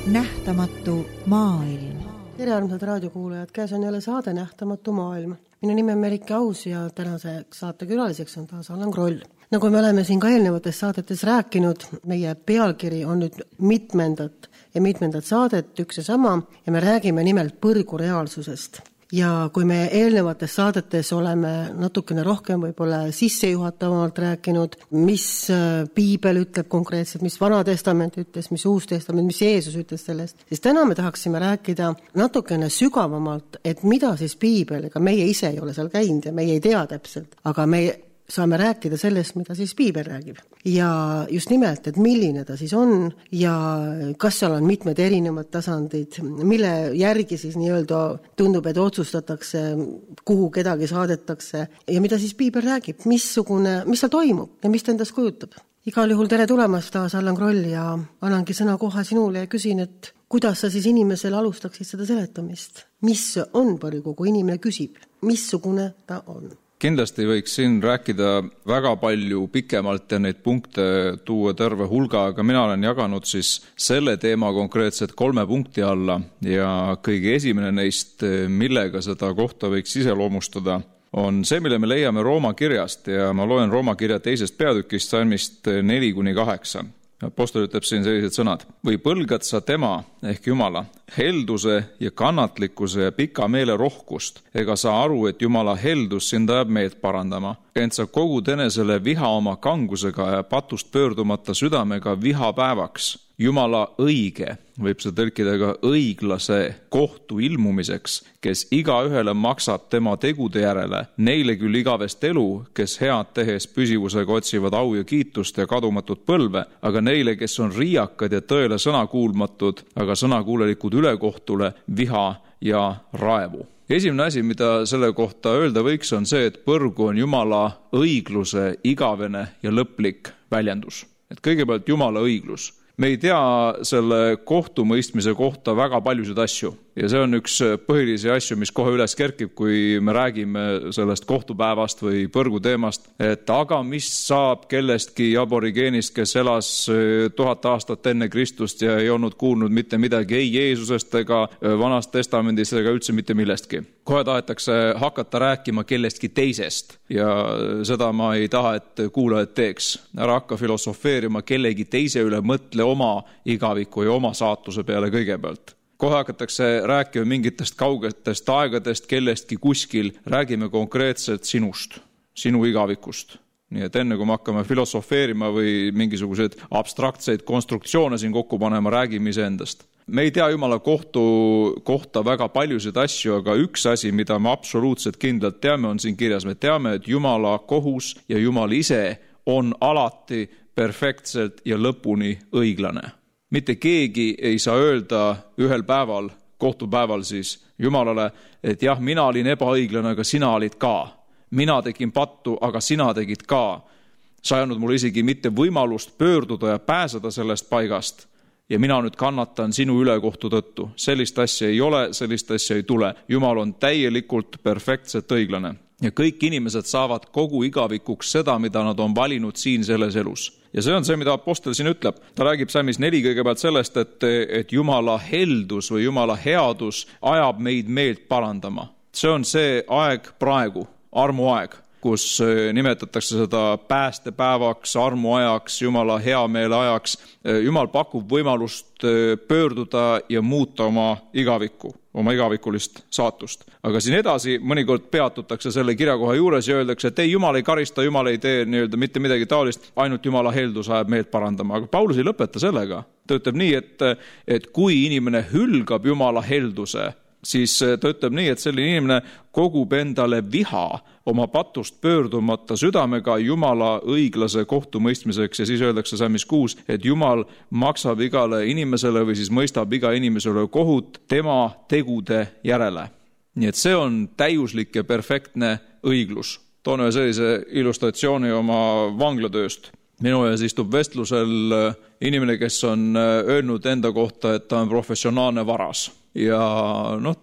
Nähtamatu maailm. Tere armsad raadiokuulajad, käes on jälle saade Nähtamatu maailm. Minu nimi on Merike Aus ja tänase saate külaliseks on taas Allan Kroll. Nagu me oleme siin ka eelnevates saadetes rääkinud, meie pealkiri on nüüd mitmendat saadet, üks ja sama, ja me räägime nimelt põrgu reaalsusest. Ja kui me eelnevates saadetes oleme natukene rohkem võib-olla sissejuhatavalt rääkinud, mis piibel ütleb konkreetselt, mis Vana Testament ütles, mis Uus Testament, mis Jeesus ütles sellest, siis täna me tahaksime rääkida natukene sügavamalt, et mida siis piibel, ega meie ise ei ole seal käinud ja meie ei tea täpselt, aga me saame rääkida sellest, mida siis piibel räägib. Ja just nimelt, et milline ta siis on ja kas seal on mitmed erinevad tasandid, mille järgi siis nii-öelda tundub, et otsustatakse, kuhu kedagi saadetakse ja mida siis piibel räägib, mis seal toimub ja mis ta endast kujutab. Igal juhul tere tulemast taas Allan Kroll ja annangi sõna kohe sinule ja küsin, et kuidas sa siis inimesele alustaksid seda seletamist? Mis on põrgu, kui inimene küsib? Missugune ta on? Kindlasti võiks siin rääkida väga palju pikemalt ja neid punkte tuua terve hulga, aga mina olen jaganud siis selle teema konkreetselt 3 punkti alla ja kõige esimene neist, millega seda kohta võiks iseloomustada, on see, mille me leiame Rooma kirjast ja ma loen Rooma kirja 2. peatükist salmist 4-8. Apostel ütleb siin sellised sõnad. Või põlgad sa tema ehk Jumala helduse ja kannatlikkuse ja pika meele rohkust, ega sa aru, et Jumala heldus sind ajab meelt parandama. Ent sa kogud enesele viha oma kangusega ja patust pöördumata südamega viha päevaks. Jumala õige, võib see tõlkida ka õiglase kohtu ilmumiseks, kes igaühele maksab tema tegude järele, neile küll igavest elu, kes head tehes püsivusega otsivad au ja kiitust ja kadumatut põlve, aga neile, kes on riiakad ja tõele sõnakuulmatud, aga sõnakuulelikud ülekohtule, viha ja raevu. Esimene asi, mida selle kohta öelda võiks, on see, et põrgu on Jumala õigluse igavene ja lõplik väljendus. Et kõigepealt Jumala õiglus. Me ei tea selle kohtumõistmise kohta väga paljusid asju ja see on üks põhilisi asju, mis kohe üles kerkib, kui me räägime sellest kohtupäevast või põrgu teemast, et aga mis saab kellestki aborigeenist, kes elas 1000 aastat enne Kristust ja ei olnud kuulnud mitte midagi ei Jeesusest ega Vanast Testamendist ega üldse mitte millestki. Kohe tahetakse hakata rääkima kellestki teisest ja seda ma ei taha, et kuulajad teeks. Ära hakka filosofeerima kellegi teise üle, mõtle oma igaviku ja oma saatuse peale kõigepealt. Kohe hakatakse rääkima mingitest kaugetest aegadest, kellestki kuskil, räägime konkreetselt sinust, sinu igavikust. Nii et enne kui me hakkame filosofeerima või mingisuguseid abstraktseid konstruktsioone siin kokku panema, räägime iseendast. Me ei tea Jumala kohta väga paljusid asju, aga üks asi, mida me absoluutselt kindlalt teame, on siin kirjas. Me teame, et Jumala kohus ja Jumal ise on alati perfektselt ja lõpuni õiglane. Mitte keegi ei saa öelda ühel päeval, kohtupäeval siis Jumalale, et jah, mina olin ebaõiglane, aga sina olid ka. Mina tegin pattu, aga sina tegid ka. Sa ei andnud mulle isegi mitte võimalust pöörduda ja pääseda sellest paigast. Ja mina nüüd kannatan sinu ülekohtu tõttu. Sellist asja ei ole, sellist asja ei tule. Jumal on täielikult perfektselt õiglane. Ja kõik inimesed saavad kogu igavikuks seda, mida nad on valinud siin selles elus. Ja see on see, mida apostel siin ütleb. Ta räägib salmis 4 kõigepealt sellest, et Jumala heldus või Jumala headus ajab meid meelt parandama. See on see aeg praegu, armuaeg, kus nimetatakse seda päästepäevaks, armuajaks, Jumala heameele ajaks. Jumal pakub võimalust pöörduda ja muuta oma igavikulist saatust. Aga siin edasi mõnikord peatutakse selle kirjakoha juures ja öeldakse, et ei, Jumal ei karista, Jumal ei tee mitte midagi taolist, ainult Jumala heldus ajab meelt parandama. Aga Paulus ei lõpeta sellega. Ta ütleb nii, et kui inimene hülgab Jumala helduse, siis ta ütleb nii, et selline inimene kogub endale viha oma patust pöördumata südamega Jumala õiglase kohtumõistmiseks ja siis öeldakse salmis 6, et Jumal maksab igale inimesele või siis mõistab iga inimesele kohut tema tegude järele. Nii et see on täiuslik ja perfektne õiglus. Toon ühe sellise illustratsiooni oma vanglatööst. Minu ees istub vestlusel inimene, kes on öelnud enda kohta, et ta on professionaalne varas. Ja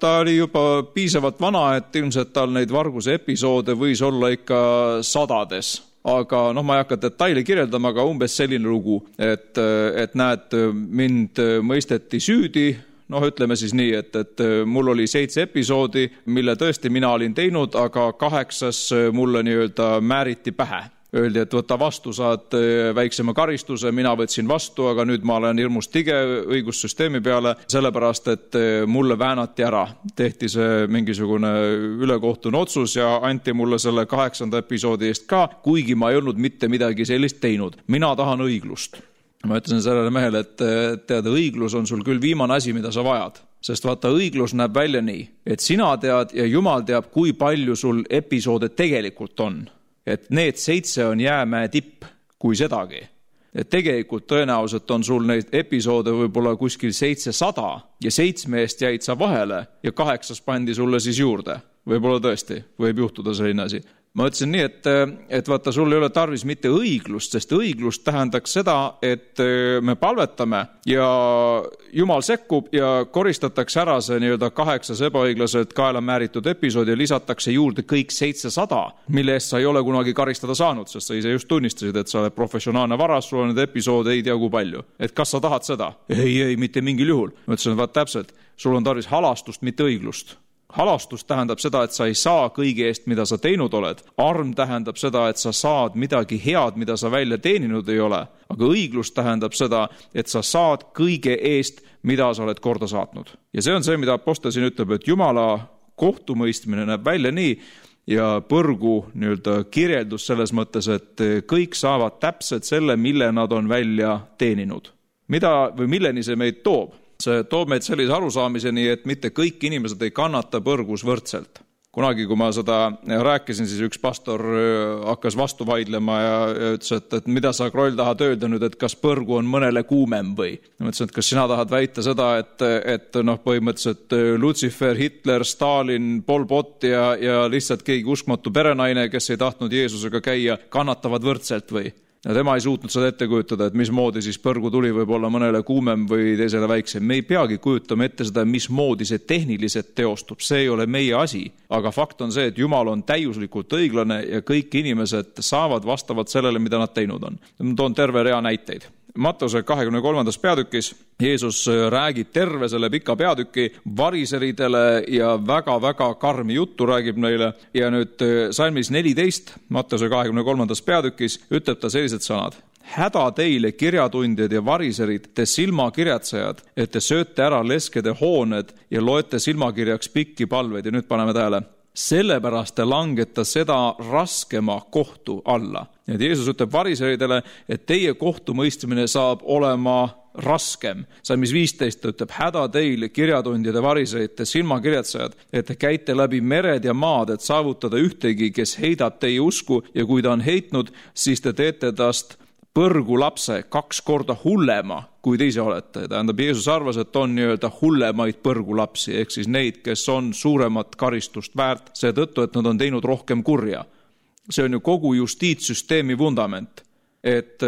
ta oli juba piisavalt vana, et ilmselt tal neid varguse episoode võis olla ikka sadades. aga ma ei hakka detaili kirjeldama, aga umbes selline lugu, et näed, mind mõisteti süüdi, ütleme siis nii, et mul oli 7 episoodi, mille tõesti mina olin teinud, aga 8 mulle nii-öelda määriti pähe. Öeldi, et võta vastu, saad väiksema karistuse, mina võtsin vastu, aga nüüd ma olen hirmus tige õigussüsteemi peale, sellepärast, et mulle väänati ära. Tehti see mingisugune ülekohtune otsus ja anti mulle selle 8. episoodi eest ka, kuigi ma ei olnud mitte midagi sellist teinud. Mina tahan õiglust. Ma ütlesin sellele mehele, et tead, õiglus on sul küll viimane asi, mida sa vajad. Sest vaata, õiglus näeb välja nii, et sina tead ja Jumal teab, kui palju sul episoode tegelikult on. Et need 7 on jäämäe tipp, kui sedagi. Et tegelikult tõenäoliselt on sul neid episoode võib-olla kuskil 700 ja 7 eest jäid sa vahele ja 8 pandi sulle siis juurde. Võib-olla tõesti, võib juhtuda selline asi. Ma ütlesin nii, et vaata, sul ei ole tarvis mitte õiglust, sest õiglust tähendaks seda, et me palvetame ja Jumal sekkub ja koristatakse ära see nii-öelda 8 ebaõiglaselt kaela määritud episoodi ja lisatakse juurde kõik 700, mille eest sa ei ole kunagi karistada saanud, sest sa ise just tunnistasid, et sa oled professionaalne varas, sul on need episoode ei tea kui palju. Et kas sa tahad seda? Ei, mitte mingil juhul. Ma ütlesin, vaat täpselt, sul on tarvis halastust, mitte õiglust. Halastus tähendab seda, et sa ei saa kõige eest, mida sa teinud oled. Arm tähendab seda, et sa saad midagi head, mida sa välja teeninud ei ole. Aga õiglus tähendab seda, et sa saad kõige eest, mida sa oled korda saatnud. Ja see on see, mida apostel siin ütleb, et Jumala kohtumõistmine näeb välja nii ja põrgu nii-öelda kirjeldus selles mõttes, et kõik saavad täpselt selle, mille nad on välja teeninud. Mida või milleni see meid toob? See toob meid sellise arusaamiseni, et mitte kõik inimesed ei kannata põrgus võrdselt. Kunagi, kui ma seda rääkisin, siis üks pastor hakkas vastu vaidlema ja ütles, et mida sa, Kroll, tahad öelda nüüd, et kas põrgu on mõnele kuumem või? Ma ütlesin, et kas sina tahad väita seda, et põhimõtteliselt Lucifer, Hitler, Stalin, Pol Pot ja lihtsalt keegi uskmatu perenaine, kes ei tahtnud Jeesusega käia, kannatavad võrdselt või? Ja tema ei suutnud seda ette kujutada, et mismoodi siis põrgu tuli võib olla mõnele kuumem või teisele väiksem. Me ei peagi kujutama ette seda, mismoodi see tehniliselt teostub. See ei ole meie asi. Aga fakt on see, et Jumal on täiuslikult õiglane ja kõik inimesed saavad vastavalt sellele, mida nad teinud on. Ma toon terve rea näiteid. Matteuse 23. peatükis Jeesus räägib terve selle pika peatüki variseridele ja väga-väga karmi juttu räägib neile. Ja nüüd salmis 14, Matteuse 23. peatükis ütleb ta sellised sõnad. Häda teile, kirjatundjad ja variserid, te silmakirjatsejad, et te sööte ära leskede hooned ja loete silmakirjaks pikki palveid. Ja nüüd paneme tähele. Sellepärast te langeta seda raskema kohtu alla. Et Jeesus ütleb variseridele, et teie kohtumõistmine saab olema raskem. Salmis 15 ütleb, häda teil, kirjatundjad ja variserid, te silmakirjatsejad, et te käite läbi mered ja maad, et saavutada ühtegi, kes heidab teie usku ja kui ta on heitnud, siis te teete tast põrgu lapse 2 korda hullema, kui te ise olete. Tähendab, Jeesus arvas, et on nii-öelda hullemaid põrgu lapsi, ehk siis neid, kes on suuremat karistust väärt, seetõttu, et nad on teinud rohkem kurja. See on ju kogu justiitssüsteemi vundament, et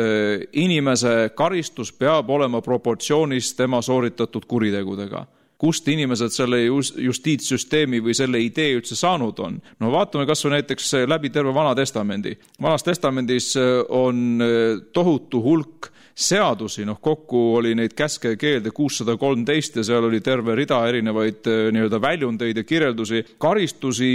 inimese karistus peab olema proportsioonis tema sooritatud kuritegudega. Kust inimesed selle justiitssüsteemi või selle idee üldse saanud on? No vaatame kas või näiteks läbi terve Vana Testamendi. Vanas Testamendis on tohutu hulk seadusi, kokku oli neid käske ja keelde 613 ja seal oli terve rida erinevaid nii-öelda väljundeid ja kirjeldusi. Karistusi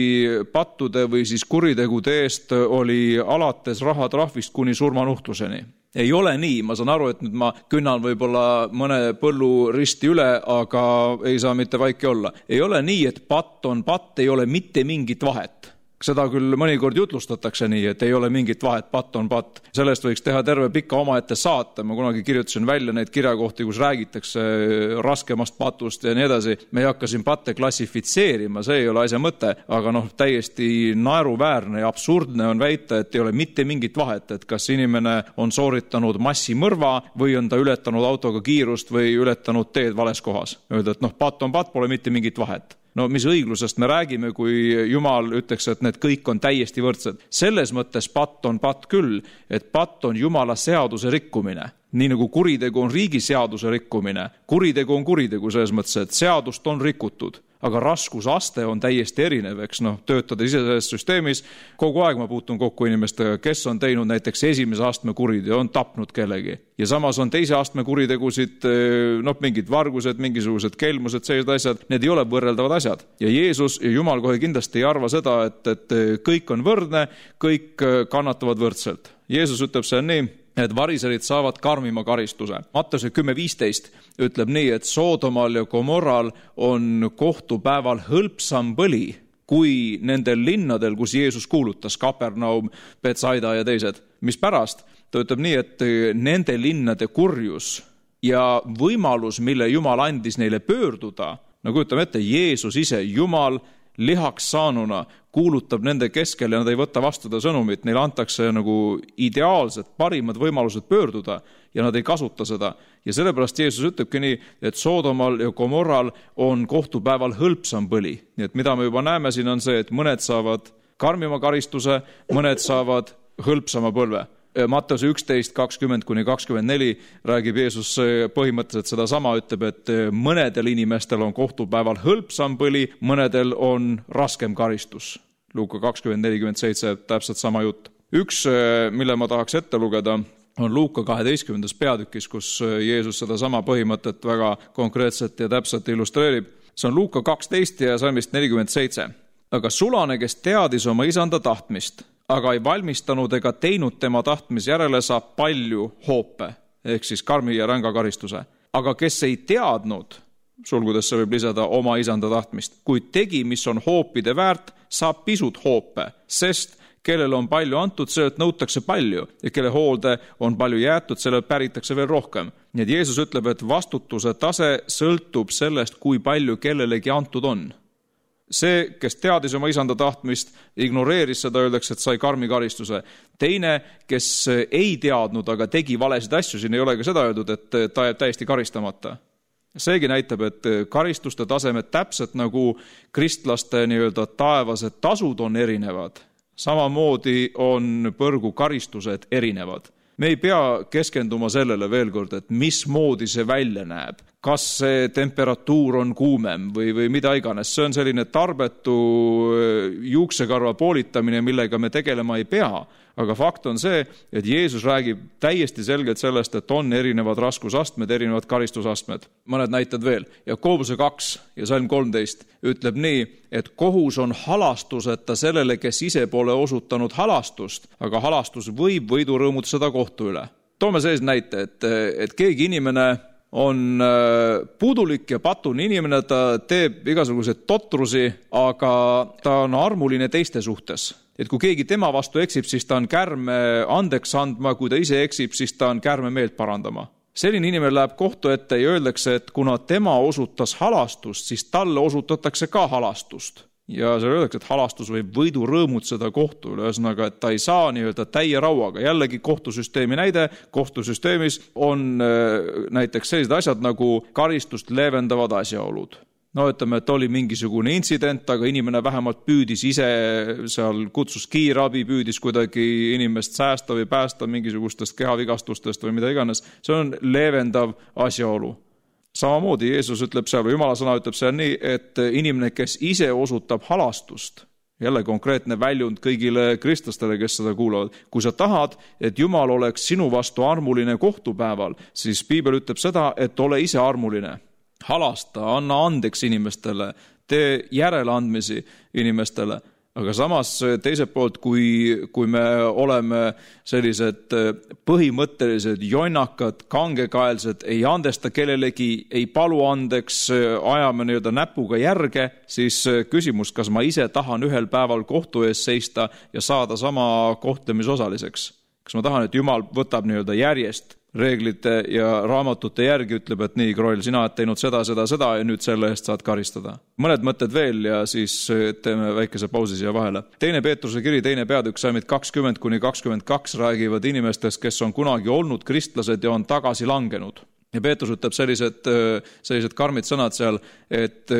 pattude või siis kuritegude eest oli alates rahatrahvist kuni surmanuhtluseni. Ei ole nii, ma saan aru, et nüüd ma künnan võib-olla mõne põllu risti üle, aga ei saa mitte vaiki olla. Ei ole nii, et patt on patt, ei ole mitte mingit vahet. Seda küll mõnikord jutlustatakse nii, et ei ole mingit vahet, patt on patt. Sellest võiks teha terve pika omaette saate. Ma kunagi kirjutasin välja neid kirjakohti, kus räägitakse raskemast patust ja nii edasi. Me ei hakka siin patte klassifitseerima, see ei ole asja mõte, aga täiesti naeruväärne ja absurdne on väita, et ei ole mitte mingit vahet, et kas inimene on sooritanud massimõrva või on ta ületanud autoga kiirust või ületanud teed vales kohas. Öelda, et patt on patt, pole mitte mingit vahet. No mis õiglusest me räägime, kui Jumal ütleks, et need kõik on täiesti võrdsed. Selles mõttes patt on patt küll, et patt on Jumala seaduse rikkumine. Nii nagu kuritegu on riigi seaduse rikkumine. Kuritegu on kuritegu selles mõttes, et seadust on rikutud. aga raskusaste on täiesti erinev, eks töötada ise selles süsteemis. Kogu aeg ma puutun kokku inimestega, kes on teinud näiteks esimese astme kuriteo, on tapnud kellegi. Ja samas on teise astme kuritegusid, mingid vargused, mingisugused kelmused, sellised asjad, need ei ole võrreldavad asjad. Ja Jeesus ja Jumal kohe kindlasti ei arva seda, et kõik on võrdne, kõik kannatavad võrdselt. Jeesus ütleb see nii, et variserid saavad karmima karistuse. Matteuse 10.15 ütleb nii, et Soodomal ja Gomorral on kohtupäeval hõlpsam põli kui nendel linnadel, kus Jeesus kuulutas, Kapernaum, Betsaida ja teised. Mis pärast? Ta ütleb nii, et nende linnade kurjus ja võimalus, mille Jumal andis neile pöörduda, nagu ütleme ette, Jeesus ise, Jumal lihaks saanuna kuulutab nende keskel ja nad ei võta vastu ta sõnumit, neile antakse nagu ideaalsed, parimad võimalused pöörduda ja nad ei kasuta seda. Ja sellepärast Jeesus ütlebki nii, et Soodomal ja Gomorral on kohtupäeval hõlpsam põli. Nii et mida me juba näeme siin on see, et mõned saavad karmima karistuse, mõned saavad hõlpsama põlve. Matteuse 11.20-24 räägib Jeesus põhimõtteliselt seda sama, ütleb, et mõnedel inimestel on kohtupäeval hõlpsam põli, mõnedel on raskem karistus. Luuka 20.47, täpselt sama jutt. Üks, mille ma tahaks ette lugeda, on Luuka 12. peatükis, kus Jeesus seda sama põhimõtet väga konkreetselt ja täpselt illustreerib. See on Luuka 12 ja salmist 47. Aga sulane, kes teadis oma isanda tahtmist, aga ei valmistanud ega teinud tema tahtmis järele, saab palju hoope, ehk siis karmi ja ränga karistuse. Aga kes ei teadnud, sulgudes see võib lisada oma isanda tahtmist, kuid tegi, mis on hoopide väärt, saab pisut hoope, sest kellel on palju antud, sellelt nõutakse palju ja kelle hoolde on palju jäetud, sellelt päritakse veel rohkem. Nii et Jeesus ütleb, et vastutuse tase sõltub sellest, kui palju kellelegi antud on. See, kes teadis oma isanda tahtmist, ignoreeris seda, öeldakse, et sai karmi karistuse. Teine, kes ei teadnud, aga tegi valesid asju, siin ei ole ka seda öeldud, et ta jääb täiesti karistamata. Seegi näitab, et karistuste tasemed täpselt nagu kristlaste taevased tasud on erinevad. Samamoodi on põrgu karistused erinevad. Me ei pea keskenduma sellele veel kord, et mismoodi see välja näeb. Kas see temperatuur on kuumem või mida iganes. See on selline tarbetu juuksekarva poolitamine, millega me tegelema ei pea. Aga fakt on see, et Jeesus räägib täiesti selgelt sellest, et on erinevad raskusastmed, erinevad karistusastmed. Mõned näitad veel. Jakobuse 2 ja salm 13 ütleb nii, et kohus on halastuseta sellele, kes ise pole osutanud halastust, aga halastus võib võidurõõmutseda kohtu üle. Toome sellise näite, et keegi inimene on puudulik ja patune inimene, ta teeb igasuguseid totrusi, aga ta on armuline teiste suhtes. Et kui keegi tema vastu eksib, siis ta on kärme andeks andma, kui ta ise eksib, siis ta on kärme meelt parandama. Selline inimene läheb kohtu ette ja öeldakse, et kuna tema osutas halastust, siis talle osutatakse ka halastust. Ja seal öeldakse, et halastus võib võidu rõõmutseda kohtu üle, ühesõnaga, et ta ei saa täie rauaga. Jällegi kohtusüsteemi näide, kohtusüsteemis on näiteks sellised asjad nagu karistust leevendavad asjaolud. Ütleme, et oli mingisugune intsident, aga inimene vähemalt püüdis ise, seal kutsus kiirabi, püüdis kuidagi inimest säästa või päästa mingisugustest kehavigastustest või mida iganes. See on leevendav asjaolu. Samamoodi Jeesus ütleb seal, või Jumala sõna ütleb seal nii, et inimene, kes ise osutab halastust, jälle konkreetne väljund kõigile kristlastele, kes seda kuulavad. Kui sa tahad, et Jumal oleks sinu vastu armuline kohtupäeval, siis Piibel ütleb seda, et ole ise armuline. Halasta, anna andeks inimestele, tee järeleandmisi inimestele. Aga samas teiselt poolt, kui me oleme sellised põhimõttelised, jonnakad, kangekaelsed, ei andesta kellelegi, ei palu andeks, ajame näpuga järge, siis küsimus, kas ma ise tahan ühel päeval kohtu ees seista ja saada sama kohtlemisosaliseks. Kas ma tahan, et Jumal võtab järjest reeglite ja raamatute järgi, ütleb, et nii, Kroll, sina oled teinud seda ja nüüd selle eest saad karistada. Mõned mõtted veel ja siis teeme väikese pausi siia vahele. 2. Peetruse kiri, 2. peatükk, salmid 20-22 räägivad inimestest, kes on kunagi olnud kristlased ja on tagasi langenud. Ja Peetrus ütleb sellised karmid sõnad seal, et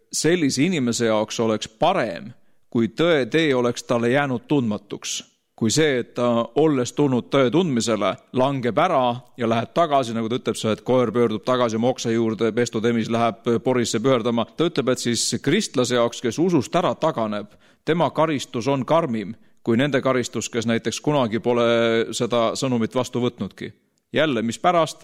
sellise inimese jaoks oleks parem, kui tõe tee oleks talle jäänud tundmatuks. kui see, et ta olles tulnud tõe tundmisele, langeb ära ja läheb tagasi, nagu ta ütleb, et koer pöördub tagasi oma oksa juurde, pestutemis läheb porisse pöördama. Ta ütleb, et siis kristlase jaoks, kes usust ära taganeb, tema karistus on karmim kui nende karistus, kes näiteks kunagi pole seda sõnumit vastu võtnudki. Jälle, mis pärast?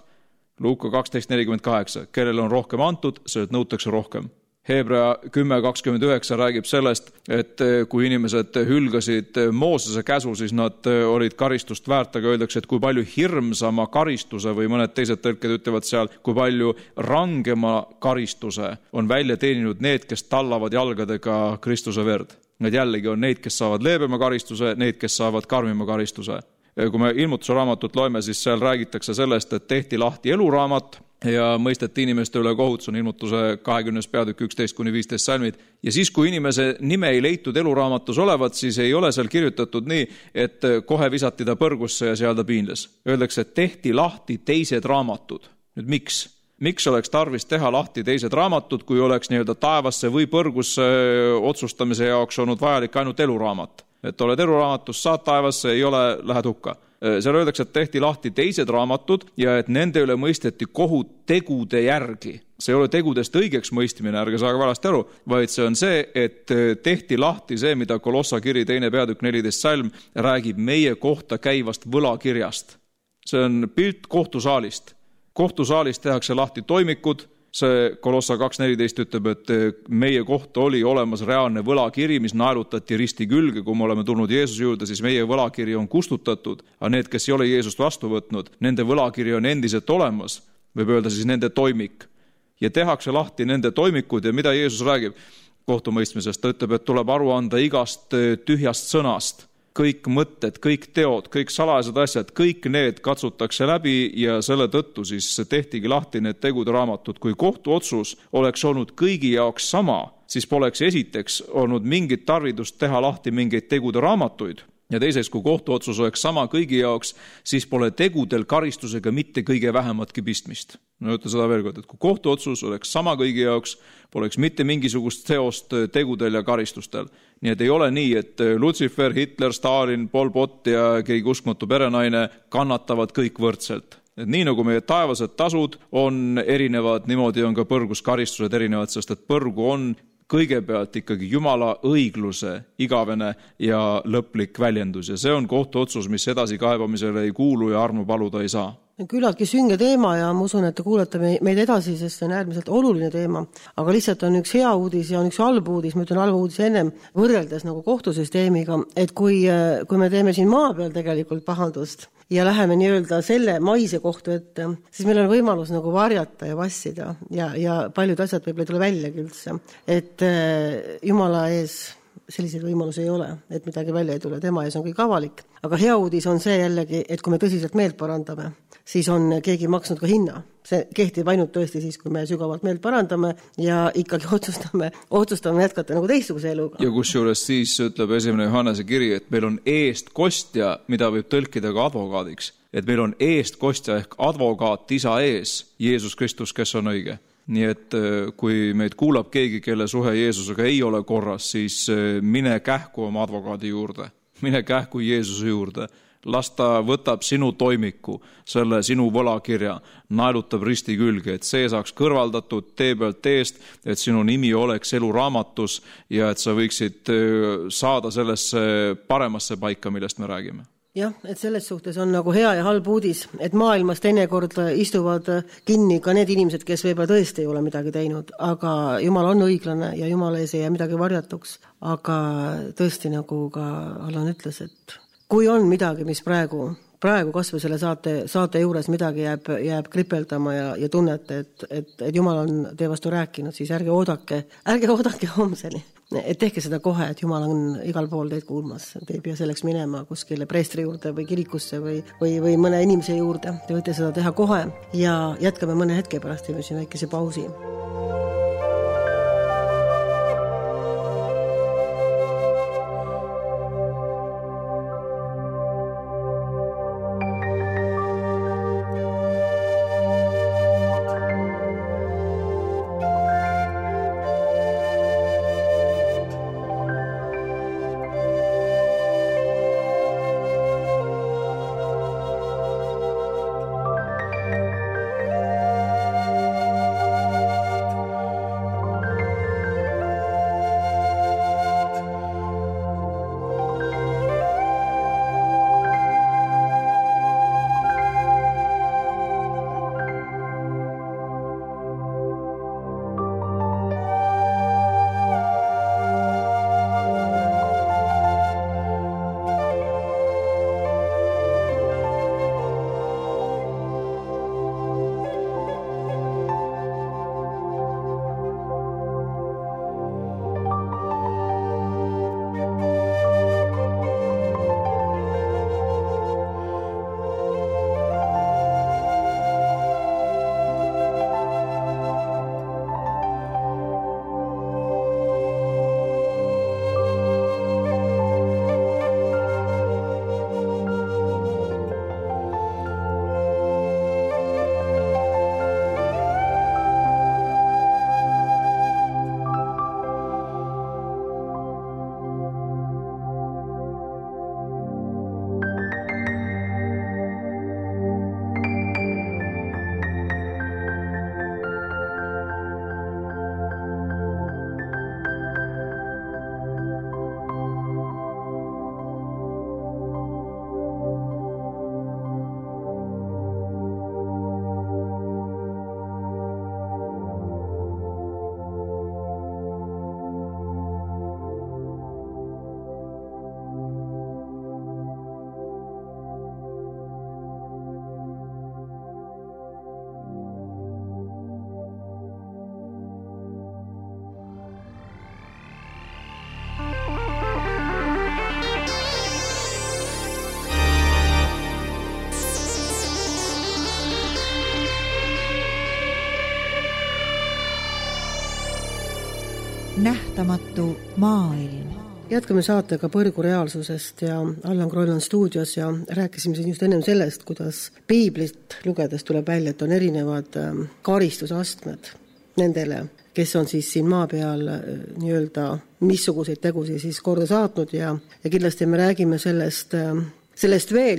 Luuka 12:48. Kellel on rohkem antud, sellelt nõutakse rohkem. Hebra 10:29 räägib sellest, et kui inimesed hülgasid Moosese käsu, siis nad olid karistust väärt, aga öeldakse, et kui palju hirmsama karistuse või mõned teised tõlked ütlevad seal, kui palju rangema karistuse on välja teeninud need, kes tallavad jalgadega Kristuse verd. Need jällegi on neid, kes saavad leebema karistuse, need, kes saavad karmima karistuse. Kui me Ilmutuse raamatut loeme, siis seal räägitakse sellest, et tehti lahti eluraamat ja mõisteti inimeste üle kohut, see on Ilmutuse 20. peatükk 11-15 salmid. Ja siis, kui inimese nime ei leitud eluraamatus olevat, siis ei ole seal kirjutatud nii, et kohe visati ta põrgusse ja seal ta piinles. Öeldakse, et tehti lahti teised raamatud. Nüüd miks? Miks oleks tarvis teha lahti teised raamatud, kui oleks nii-öelda taevasse või põrgusse otsustamise jaoks olnud vajalik ainult eluraamat? Et oled eluraamatus, saad taevasse, ei ole, lähed hukka. Seal öeldakse, et tehti lahti teised raamatud ja et nende üle mõisteti kohut tegude järgi. See ei ole tegudest õigeks mõistmine, ärge saage valesti aru, vaid see on see, et tehti lahti see, mida Kolossa kiri 2. peatükk 14 salm räägib meie kohta käivast võlakirjast. See on pilt kohtusaalist. Kohtusaalis tehakse lahti toimikud, see Kolossa 2.14 ütleb, et meie kohta oli olemas reaalne võlakiri, mis naelutati risti külge, kui me oleme tulnud Jeesuse juurde, siis meie võlakiri on kustutatud, aga need, kes ei ole Jeesust vastu võtnud, nende võlakiri on endiselt olemas, võib öelda siis nende toimik. Ja tehakse lahti nende toimikud ja mida Jeesus räägib kohtumõistmisest, ta ütleb, et tuleb aru anda igast tühjast sõnast. Kõik mõtted, kõik teod, kõik salajased asjad, kõik need katsutakse läbi ja selle tõttu siis tehtigi lahti need tegude raamatud. Kui kohtuotsus oleks olnud kõigi jaoks sama, siis poleks esiteks olnud mingit tarvidust teha lahti mingeid tegude raamatuid. Ja teiseks, kui kohtuotsus oleks sama kõigi jaoks, siis pole tegudel karistusega mitte kõige vähematki pistmist. No ütle seda veel kord, et kui kohtuotsus oleks sama kõigi jaoks, poleks mitte mingisugust seost tegudel ja karistustel. Nii et ei ole nii, et Lutsifer, Hitler, Stalin, Pol Pot ja keegi uskmatu perenaine kannatavad kõik võrdselt. Et nii nagu meie taevased tasud on erinevad, niimoodi on ka põrgus karistused erinevad, sest et põrgu on kõigepealt ikkagi Jumala õigluse igavene ja lõplik väljendus ja see on kohtuotsus, mis edasi kaebamisele ei kuulu ja armu paluda ei saa. Küllaltki sünge teema ja ma usun, et te kuulete meid edasi, sest see on äärmiselt oluline teema. Aga lihtsalt on üks hea uudis ja on üks halb uudis, ma ütlen halb uudis ennem võrreldes nagu kohtusüsteemiga, et kui me teeme siin maa peal tegelikult pahandust ja läheme nii-öelda selle maise kohtu ette, siis meil on võimalus nagu varjata ja vassida ja paljud asjad võib-olla ei tule väljagi üldse. Et Jumala ees selliseid võimalusi ei ole, et midagi välja ei tule, tema ees on kõik avalik. Aga hea uudis on see jällegi, et kui me tõsiselt meelt parandame, siis on keegi maksnud ka hinna. See kehtib ainult tõesti siis, kui me sügavalt meelt parandame ja ikkagi otsustame jätkata nagu teistsuguse eluga. Ja kusjuures siis ütleb 1. Johannese kiri, et meil on eestkostja, mida võib tõlkida ka advokaadiks. Et meil on eestkostja ehk advokaat isa ees, Jeesus Kristus, kes on õige. Nii et kui meid kuulab keegi, kelle suhe Jeesusega ei ole korras, siis mine kähku oma advokaadi juurde, mine kähku Jeesuse juurde, las ta võtab sinu toimiku, selle sinu võlakirja, naelutab risti külge, et see saaks kõrvaldatud tee pealt eest, et sinu nimi oleks eluraamatus ja et sa võiksid saada sellesse paremasse paika, millest me räägime. Jah, et selles suhtes on nagu hea ja halb uudis, et maailmas teinekord istuvad kinni ka need inimesed, kes võib-olla tõesti ei ole midagi teinud, aga Jumal on õiglane ja Jumal ees ei jää midagi varjatuks. Aga tõesti, nagu ka Allan ütles, et kui on midagi, mis praegu kasvõi selle saate juures midagi jääb kripeldama ja tunnete, et Jumal on teie vastu rääkinud, siis ärge oodake homseni. Et tehke seda kohe, et Jumal on igal pool teid kuulmas. Te ei pea selleks minema kuskile preestri juurde või kirikusse või mõne inimese juurde. Te võite seda teha kohe ja jätkame mõne hetke pärast, teeme siin väikese pausi. nähtamatu maailm. Jätkame saatega Põrgu reaalsusest ja Allan Kroll on stuudios ja rääkisime siin just ennem sellest, kuidas piiblit lugedes tuleb välja, et on erinevad karistusastmed nendele, kes on siis siin maa peal nii-öelda missuguseid tegusid siis korda saatnud ja kindlasti me räägime sellest veel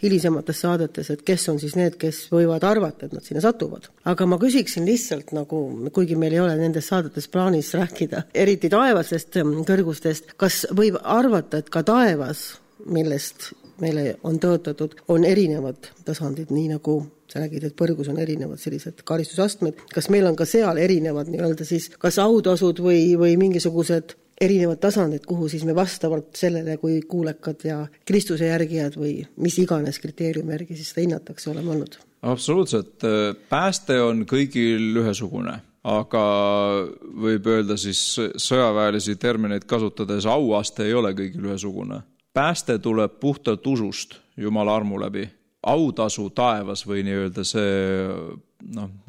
hilisemates saadetes, et kes on siis need, kes võivad arvata, et nad sinna satuvad. Aga ma küsiksin lihtsalt, nagu, kuigi meil ei ole nendes saadetes plaanis rääkida, eriti taevasest kõrgustest, kas võib arvata, et ka taevas, millest meile on tõotatud, on erinevad tasandid, nii nagu sa räägid, et Põrgus on erinevad sellised karistusastmed. Kas meil on ka seal erinevad nii-öelda siis kas autasud või mingisugused erinevad tasandid, kuhu siis me vastavalt sellele, kui kuulekad ja Kristuse järgijad või mis iganes kriteeriumi järgi siis seda hinnatakse olema olnud? Absoluutselt. Pääste on kõigil ühesugune, aga võib öelda siis sõjaväelisi termineid kasutades auaste ei ole kõigil ühesugune. Pääste tuleb puhtalt usust Jumala armu läbi. Autasu taevas või nii-öelda see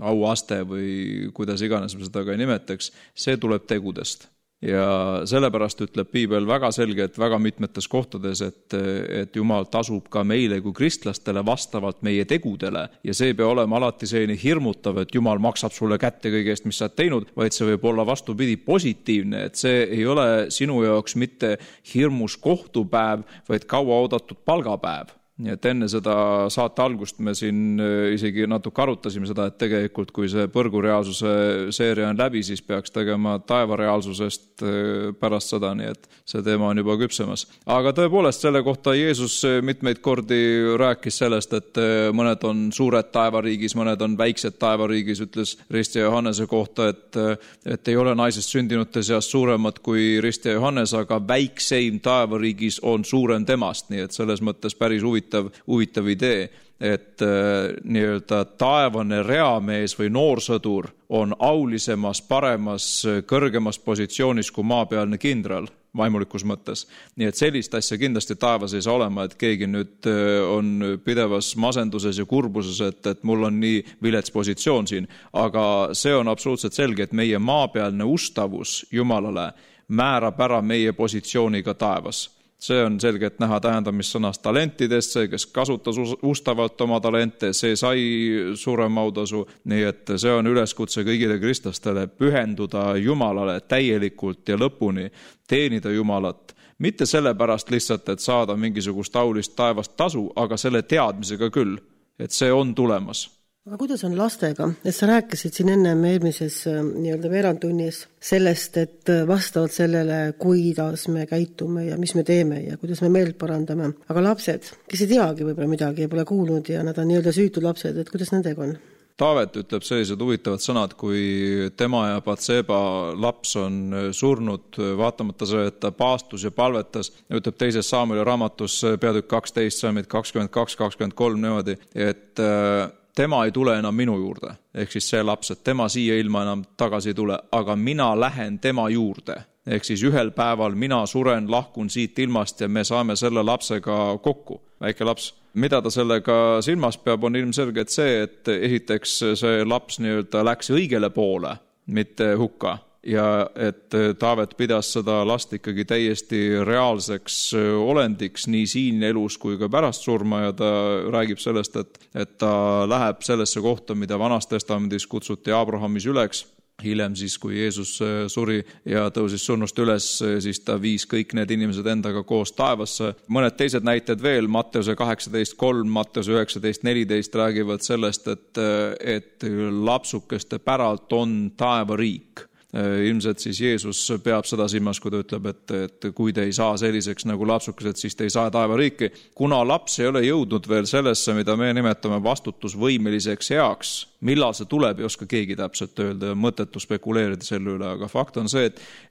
auaste või kuidas iganes me seda ka ei nimetaks, see tuleb tegudest. Ja sellepärast ütleb piibel väga selgelt väga mitmetes kohtades, et Jumal tasub ka meile kui kristlastele vastavalt meie tegudele ja see peab olema alati selline hirmutav, et Jumal maksab sulle kätte kõige eest, mis sa oled teinud, vaid see võib olla vastupidi positiivne, et see ei ole sinu jaoks mitte hirmus kohtupäev, vaid kaua oodatud palgapäev. Nii et enne seda saate algust me siin isegi natuke arutasime seda, et tegelikult kui see Põrgu reaalsuse seeria on läbi, siis peaks tegema taeva reaalsusest pärast seda, nii et see teema on juba küpsemas. Aga tõepoolest selle kohta Jeesus mitmeid kordi rääkis sellest, et mõned on suured taevariigis, mõned on väiksed taevariigis, ütles Risti ja Johannese kohta, et ei ole naisest sündinute seas suuremad kui Risti ja Johannes, aga väikseim taevariigis on suurem temast, nii et selles mõttes päris huvitav idee, et nii-öelda taevane reamees või noorsõdur on aulisemas, paremas, kõrgemas positsioonis kui maapealne kindral vaimulikus mõttes. Nii et sellist asja kindlasti taevas ei saa olema, et keegi nüüd on pidevas masenduses ja kurbuses, et mul on nii vilets positsioon siin, aga see on absoluutselt selge, et meie maapealne ustavus Jumalale määrab ära meie positsiooni ka taevas. See on selgelt näha tähendamissõnast talentidest, see, kes kasutas ustavalt oma talente, see sai suurem autasu, nii et see on üleskutse kõigile kristlastele pühenduda Jumalale täielikult ja lõpuni, teenida Jumalat. Mitte sellepärast lihtsalt, et saada mingisugust aulist taevast tasu, aga selle teadmisega küll, et see on tulemas. Aga kuidas on lastega? Et sa rääkisid siin enne eelmises nii-öelda veerandtunnis sellest, et vastavalt sellele, kuidas me käitume ja mis me teeme ja kuidas me meelt parandame. Aga lapsed, kes ei teagi võib-olla midagi ja pole kuulnud ja nad on nii-öelda süütud lapsed, et kuidas nendega on? Taavet ütleb sellised huvitavad sõnad, kui tema ja Batseba laps on surnud, vaatamata selle, et ta paastus ja palvetas, ütleb teises Saamueli raamatus peatükk 12, saamid 22-23 niimoodi, et tema ei tule enam minu juurde, ehk siis see laps, et tema siia ilma enam tagasi ei tule, aga mina lähen tema juurde. Ehk siis ühel päeval mina suren, lahkun siit ilmast ja me saame selle lapsega kokku, väike laps. Mida ta sellega silmas peab, on ilmselgelt see, et esiteks see laps nii-öelda läks õigele poole, mitte hukka. Ja et Taavet pidas seda last ikkagi täiesti reaalseks olendiks nii siin elus kui ka pärast surma ja ta räägib sellest, et ta läheb sellesse kohta, mida Vanas Testamendis kutsuti Abrahamis üleks. Hiljem siis, kui Jeesus suri ja tõusis surnust üles, siis ta viis kõik need inimesed endaga koos taevasse. Mõned teised näited veel, Matteuse 18.3, Matteuse 19.14 räägivad sellest, et lapsukeste päralt on taevariik. Ilmselt siis Jeesus peab seda silmas, kui ta ütleb, et kui te ei saa selliseks nagu lapsukesed, siis te ei saa taevariiki. Kuna laps ei ole jõudnud veel sellesse, mida me nimetame vastutusvõimeliseks heaks, millal see tuleb, ei oska keegi täpselt öelda ja mõttetu spekuleerida selle üle, aga fakt on see,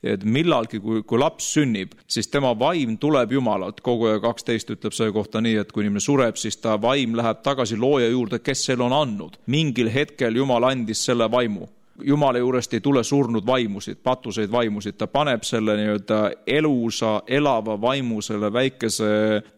et millalgi, kui laps sünnib, siis tema vaim tuleb Jumalalt. Koguja 12 ütleb selle kohta nii, et kui inimene sureb, siis ta vaim läheb tagasi looja juurde, kes selle on andnud. Mingil hetkel Jumal andis selle vaimu. Jumala juurest ei tule surnud vaimusid, patuseid vaimusid, ta paneb selle nii-öelda elusa, elava vaimu selle väikese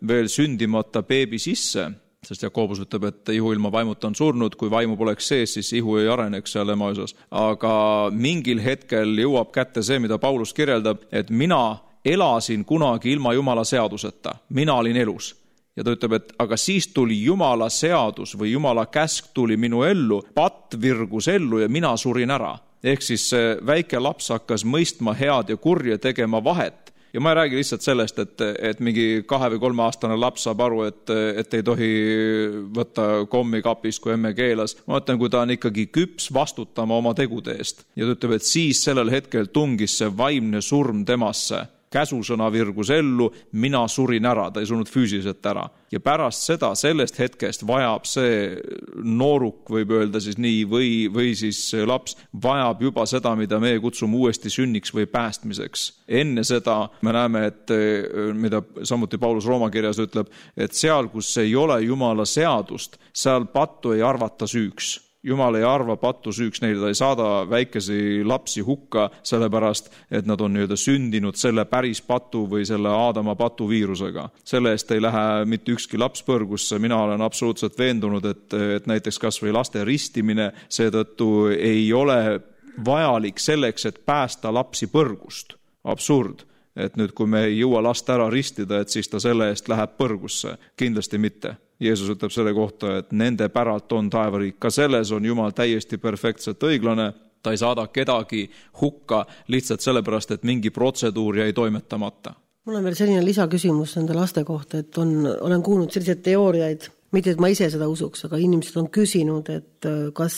veel sündimata beebi sisse sest Jakobus ütleb, et ihu ilma vaimuta on surnud, kui vaimu poleks sees, siis ihu ei areneks seal ema osas. Aga mingil hetkel jõuab kätte see, mida Paulus kirjeldab, et mina elasin kunagi ilma Jumala seaduseta, mina olin elus. Ja ta ütleb, et aga siis tuli Jumala seadus või Jumala käsk tuli minu ellu, patt virgus ellu ja mina surin ära. Ehk siis see väike laps hakkas mõistma head ja kurja, tegema vahet. Ja ma ei räägi lihtsalt sellest, et mingi 2 või 3 aastane laps saab aru, et ei tohi võtta kommi kapist, kui emme keelas. Ma mõtlen, kui ta on ikkagi küps vastutama oma tegude eest. Ja ta ütleb, et siis sellel hetkel tungis see vaimne surm temasse. Käsusõna virgus ellu, mina surin ära, ta ei surnud füüsiliselt ära. Ja pärast seda, sellest hetkest vajab see nooruk, võib öelda siis nii, või siis laps vajab juba seda, mida me kutsume uuesti sünniks või päästmiseks. Enne seda me näeme, et mida samuti Paulus Rooma kirjas ütleb, et seal, kus ei ole Jumala seadust, seal pattu ei arvata süüks. Jumal ei arva pattu süüks neile, ta ei saada väikesi lapsi hukka sellepärast, et nad on sündinud selle päris patu või selle Aadama patu viirusega. Selle eest ei lähe mitte ükski laps põrgusse, mina olen absoluutselt veendunud, et näiteks kas või laste ristimine seetõttu ei ole vajalik selleks, et päästa lapsi põrgust. Absurd. Et nüüd, kui me ei jõua last ära ristida, et siis ta selle eest läheb põrgusse. Kindlasti mitte. Jeesus ütleb selle kohta, et nende päralt on taevariik. Ka selles on Jumal täiesti perfektselt õiglane. Ta ei saada kedagi hukka lihtsalt sellepärast, et mingi protseduur jäi toimetamata. Mul on veel selline lisaküsimus nende laste kohta, et olen kuulnud selliseid teooriaid, mitte et ma ise seda usuks, aga inimesed on küsinud, et kas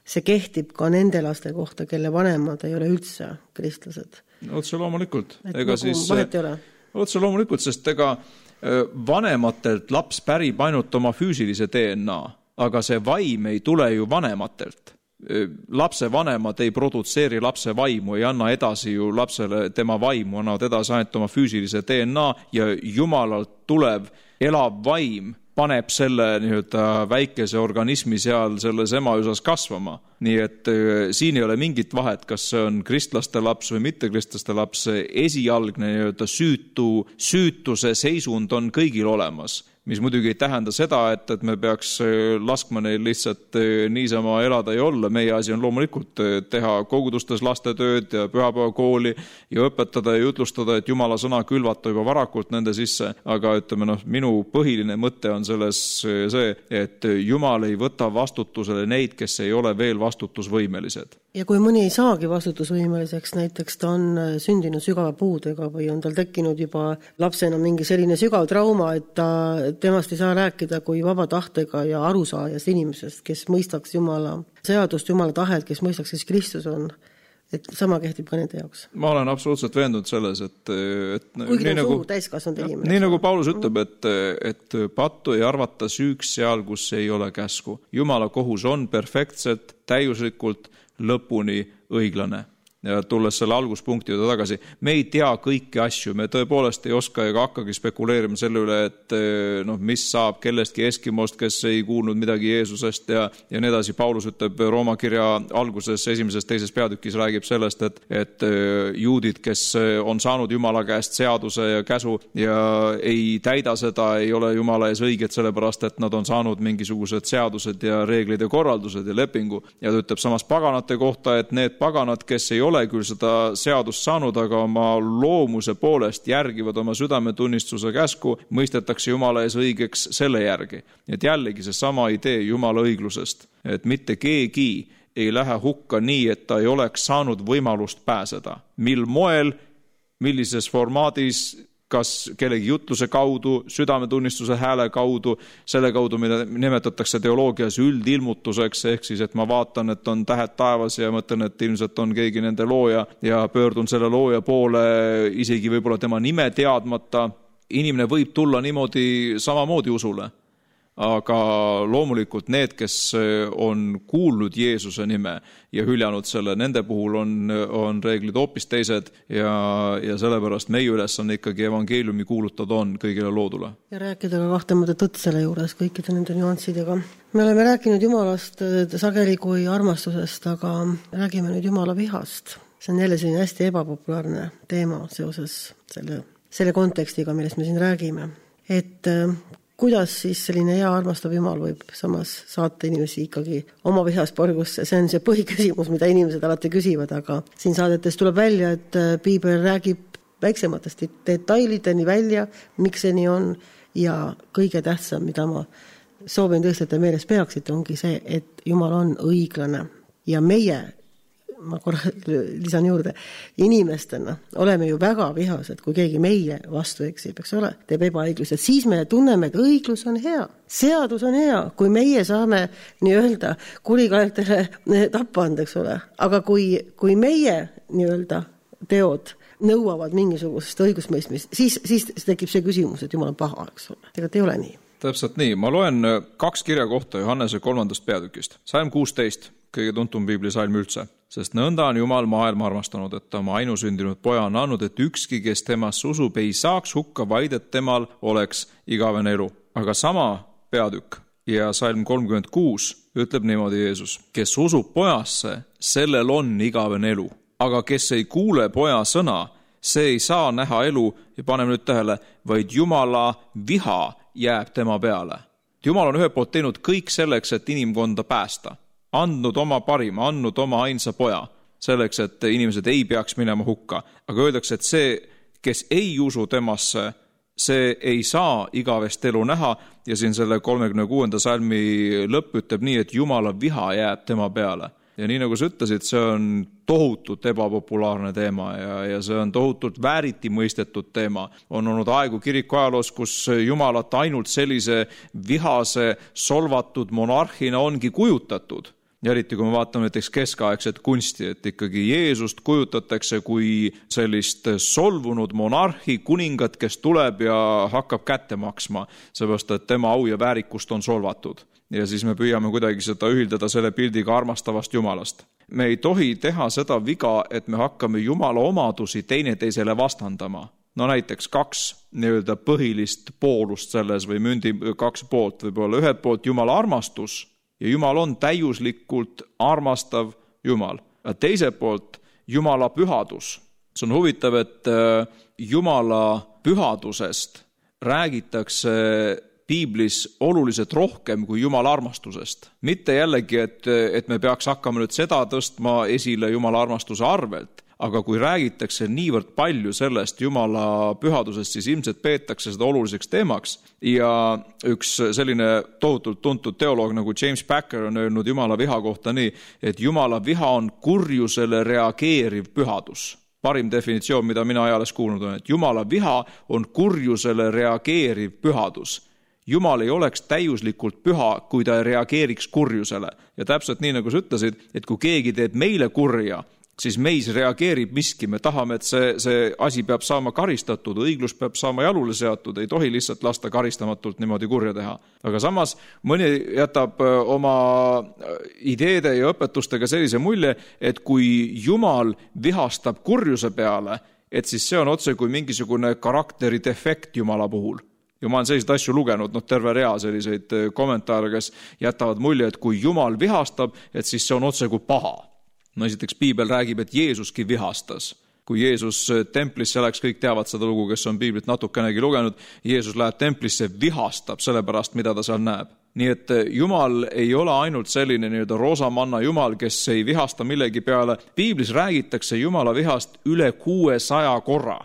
see kehtib ka nende laste kohta, kelle vanemad ei ole üldse kristlased. Otse loomulikult. Otse loomulikult, sest vanematelt laps pärib ainult oma füüsilise DNA, aga see vaim ei tule ju vanematelt. Lapse vanemad ei produtseeri lapse vaimu, ei anna edasi ju lapsele tema vaimu, annavad edasi ainult oma füüsilise DNA ja Jumalalt tulev elav vaim paneb selle väikese organismi seal selles ema osas kasvama. Nii et siin ei ole mingit vahet, kas see on kristlaste laps või mitte kristlaste laps. Esialgne süütuse seisund on kõigil olemas, mis muidugi ei tähenda seda, et me peaks laskma neil lihtsalt niisama elada ja olla. Meie asi on loomulikult teha kogudustes lastetööd ja pühapäevakooli ja õpetada ja jutlustada, et Jumala sõna külvata juba varakult nende sisse. Aga minu põhiline mõte on selles see, et Jumal ei võta vastutusele neid, kes ei ole veel vastutusvõimelised. Ja kui mõni ei saagi vastutusvõimeliseks, näiteks ta on sündinud sügava puudega või on tal tekkinud juba lapsena mingi selline sügav trauma, et temast ei saa rääkida kui vaba tahtega ja arusaajast inimesest, kes mõistaks Jumala seadust, Jumala tahet, kes mõistaks, kes Kristus on. Et sama kehtib ka nende jaoks. Ma olen absoluutselt veendunud selles, et kuigi on suur täiskasvanud inimene. Nii nagu Paulus ütleb, et pattu ei arvata süüks seal, kus ei ole käsku. Jumala kohus on perfektselt, täiuslikult, lõpuni õiglane. Ja tulles selle alguspunkti juurde tagasi, me ei tea kõiki asju, me tõepoolest ei oska ega hakkagi spekuleerima selle üle, et mis saab kellestki Eskimost, kes ei kuulnud midagi Jeesusest ja nii edasi. Paulus ütleb Rooma kirja alguses 1.-2. peatükis räägib sellest, et juudid, kes on saanud Jumala käest seaduse ja käsu ja ei täida seda, ei ole Jumala ees õiged sellepärast, et nad on saanud mingisugused seadused ja reeglid ja korraldused ja lepingu. Ja ta ütleb samas paganate kohta, et need paganad, kes ei ole küll seda seadust saanud, aga oma loomuse poolest järgivad oma südametunnistuse käsku, mõistetakse Jumala ees õigeks selle järgi. Et jällegi see sama idee Jumala õiglusest, et mitte keegi ei lähe hukka nii, et ta ei oleks saanud võimalust pääseda. Mil moel, millises formaadis, kas kellegi jutluse kaudu, südametunnistuse hääle kaudu, selle kaudu, mida nimetatakse teoloogias üldilmutuseks, ehk siis, et ma vaatan, et on tähed taevas ja mõtlen, et ilmselt on keegi nende looja ja pöördun selle looja poole isegi võib-olla tema nime teadmata. Inimene võib tulla niimoodi samamoodi usule. Aga loomulikult need, kes on kuulnud Jeesuse nime ja hüljanud selle, nende puhul on reeglid hoopis teised ja sellepärast meie üles on ikkagi evangeeliumi kuulutada on kõigile loodule. Ja rääkida ka kahtemata tõtt selle juures kõikide nende nüanssidega. Me oleme rääkinud Jumalast sageli kui armastusest, aga räägime nüüd Jumala vihast. See on jälle selline hästi ebapopulaarne teema seoses selle kontekstiga, millest me siin räägime. Et kuidas siis selline hea armastav Jumal võib samas saata inimesi ikkagi oma vihas porgusse, see on see põhiküsimus, mida inimesed alati küsivad, aga siin saadetes tuleb välja, et piibel räägib väiksematest detailideni välja, miks see nii on ja kõige tähtsam, mida ma soovin tõesti, et te meeles peaksite, ongi see, et Jumal on õiglane ja meie, ma korra lisan juurde, inimestena oleme ju väga vihased, kui keegi meie vastu eksib, eks ole, teeb ebaõiglust, siis me tunneme, et õiglus on hea, seadus on hea, kui meie saame nii-öelda kurikaeltele tappa anda, eks ole, aga kui meie nii-öelda teod nõuavad mingisugust õigusmõistmist, siis tekib see küsimus, et Jumal on paha, eks ole, tegelikult ei ole nii. Täpselt nii, ma loen 2 kirja kohta Johannese 3. peatükist. Salm 16, kõige tuntum piiblisalm üldse. Sest nõnda on Jumal maailma armastanud, et ta oma ainusündinud poja on andnud, et ükski, kes temasse usub, ei saaks hukka, vaid et temal oleks igavene elu. Aga sama peatükk ja salm 36 ütleb niimoodi Jeesus, kes usub pojasse, sellel on igavene elu. Aga kes ei kuule poja sõna, see ei saa näha elu ja paneme nüüd tähele, vaid Jumala viha jääb tema peale. Jumal on ühe poolt teinud kõik selleks, et inimkonda päästa. Andnud oma parima, andnud oma ainsa poja, selleks, et inimesed ei peaks minema hukka. Aga öeldakse, et see, kes ei usu temasse, see ei saa igavest elu näha ja siin selle 36. salmi lõpp ütleb nii, et Jumala viha jääb tema peale. Ja nii nagu sa ütlesid, see on tohutult ebapopulaarne teema ja see on tohutult vääriti mõistetud teema. On olnud aegu kiriku ajaloos, kus Jumalat ainult sellise vihase, solvatud monarhina ongi kujutatud. Ja eriti, kui me vaatame näiteks keskaegset kunsti, et ikkagi Jeesust kujutatakse kui sellist solvunud monarhi, kuningat, kes tuleb ja hakkab kätte maksma, seepärast, et tema au ja väärikust on solvatud. Ja siis me püüame kuidagi seda ühildada selle pildiga armastavast Jumalast. Me ei tohi teha seda viga, et me hakkame Jumala omadusi teineteisele vastandama. No näiteks 2 nii-öelda põhilist poolust selles või mündi 2 poolt, võib-olla ühelt poolt Jumala armastus ja Jumal on täiuslikult armastav Jumal. Ja teiselt poolt Jumala pühadus. See on huvitav, et Jumala pühadusest räägitakse piiblis oluliselt rohkem kui Jumala armastusest. Mitte jällegi, et me peaks hakkama nüüd seda tõstma esile Jumala armastuse arvelt, aga kui räägitakse niivõrd palju sellest Jumala pühadusest, siis ilmselt peetakse seda oluliseks teemaks. Ja üks selline tohutult tuntud teoloog nagu James Packer on öelnud Jumala viha kohta nii, et Jumala viha on kurjusele reageeriv pühadus. Parim definitsioon, mida mina ajales kuulnud on, et Jumala viha on kurjusele reageeriv pühadus. Jumal ei oleks täiuslikult püha, kui ta ei reageeriks kurjusele. Ja täpselt nii, nagu sa ütlesid, et kui keegi teeb meile kurja, siis meis reageerib miski. Me tahame, et see asi peab saama karistatud, õiglus peab saama jalule seatud, ei tohi lihtsalt lasta karistamatult niimoodi kurja teha. Aga samas mõni jätab oma ideede ja õpetustega sellise mulje, et kui Jumal vihastab kurjuse peale, et siis see on otse kui mingisugune karakteri defekt Jumala puhul. Ja ma olen selliseid asju lugenud, terve rea selliseid kommentaare, kes jätavad mulje, et kui Jumal vihastab, et siis see on otse kui paha. No esiteks piibel räägib, et Jeesuski vihastas. Kui Jeesus templisse läks, kõik teavad seda lugu, kes on piiblit natukenegi lugenud, Jeesus läheb templisse, vihastab selle pärast, mida ta seal näeb. Nii et Jumal ei ole ainult selline nii-öelda roosamanna Jumal, kes ei vihasta millegi peale. Piiblis räägitakse Jumala vihast üle 600 korra.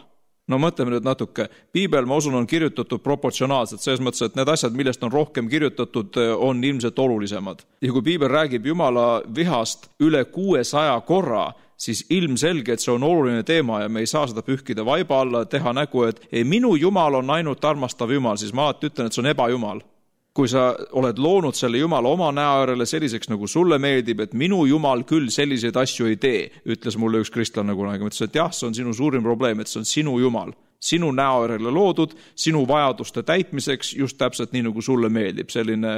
No mõtleme nüüd natuke. Piibel, ma usun, on kirjutatud proportsionaalselt, selles mõttes, et need asjad, millest on rohkem kirjutatud, on ilmselt olulisemad. Ja kui piibel räägib Jumala vihast üle 600 korra, siis ilmselge, et see on oluline teema ja me ei saa seda pühkida vaiba alla, teha nägu, et minu Jumal on ainult armastav Jumal, siis ma alati ütlen, et see on ebajumal. Kui sa oled loonud selle Jumala oma näoärele selliseks, nagu sulle meeldib, et minu Jumal küll selliseid asju ei tee, ütles mulle üks kristlane kunagi. Ma ütlesin, et jah, see on sinu suurim probleem, et see on sinu Jumal. Sinu näoärele loodud, sinu vajaduste täitmiseks, just täpselt nii, nagu sulle meeldib. Selline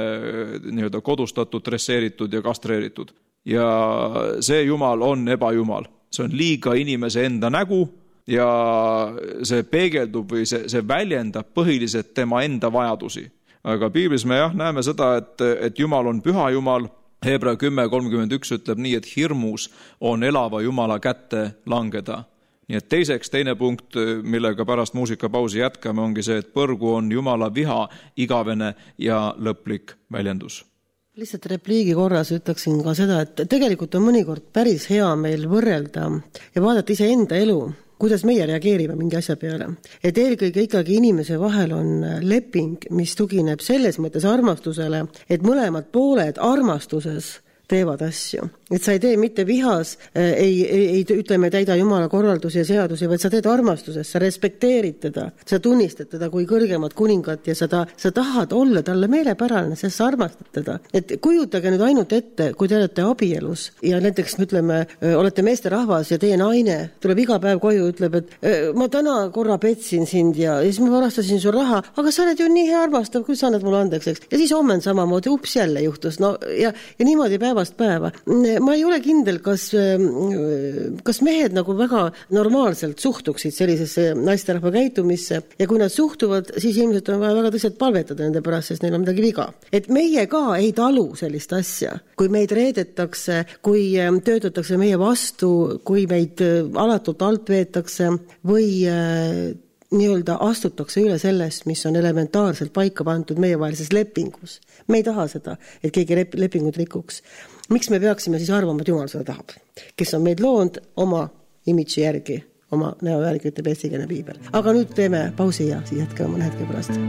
nii-öelda kodustatud, dresseeritud ja kastreeritud. Ja see Jumal on ebajumal. See on liiga inimese enda nägu ja see peegeldub või see väljendab põhiliselt tema enda vajadusi. Aga piiblis me näeme seda, et Jumal on püha Jumal. Hebra 10:31 ütleb nii, et hirmus on elava Jumala kätte langeda. Nii et teine punkt, millega pärast muusikapausi jätkame, ongi see, et põrgu on Jumala viha, igavene ja lõplik väljendus. Lihtsalt repliigi korras ütleksin ka seda, et tegelikult on mõnikord päris hea meil võrrelda ja vaadata iseenda elu, kuidas meie reageerime mingi asja peale. Et eelkõige ikkagi inimese vahel on leping, mis tugineb selles mõttes armastusele, et mõlemad pooled armastuses teevad asju. Et sa ei tee mitte vihas, ei ütleme täida Jumala korraldusi ja seadusi, vaid sa teed armastuses, sa respekteerid teda, sa tunnistad teda kui kõrgemat kuningat ja sa tahad olla talle meelepärane, sest sa armastad teda. Et kujutage nüüd ainult ette, kui te olete abielus ja näiteks ütleme, olete meesterahvas ja teie naine tuleb iga päev koju, ütleb, et ma täna korra petsin sind ja siis ma varastasin su raha, aga sa oled ju nii hea armastav, kui sa annad mulle andeks, eks. Ja siis homme samamoodi, ups, jälle juhtus. No, ja niimoodi päevast päeva. Ma ei ole kindel, kas mehed nagu väga normaalselt suhtuksid sellisesse naisterahva käitumisse ja kui nad suhtuvad, siis ilmselt on vaja väga tõsiselt palvetada nende pärast, sest neil on midagi viga. Et meie ka ei talu sellist asja, kui meid reedetakse, kui töötatakse meie vastu, kui meid alatult alt veetakse või nii-öelda astutakse üle sellest, mis on elementaarselt paika pandud meievahelises lepingus. Me ei taha seda, et keegi lepingut rikuks. Miks me peaksime siis arvama, et Jumal seda tahab? Kes on meid loonud oma imidži järgi, oma näo järgi, ütleb eestikeelne piibel. Aga nüüd teeme pausi ja siis jätkame mõne hetke pärast.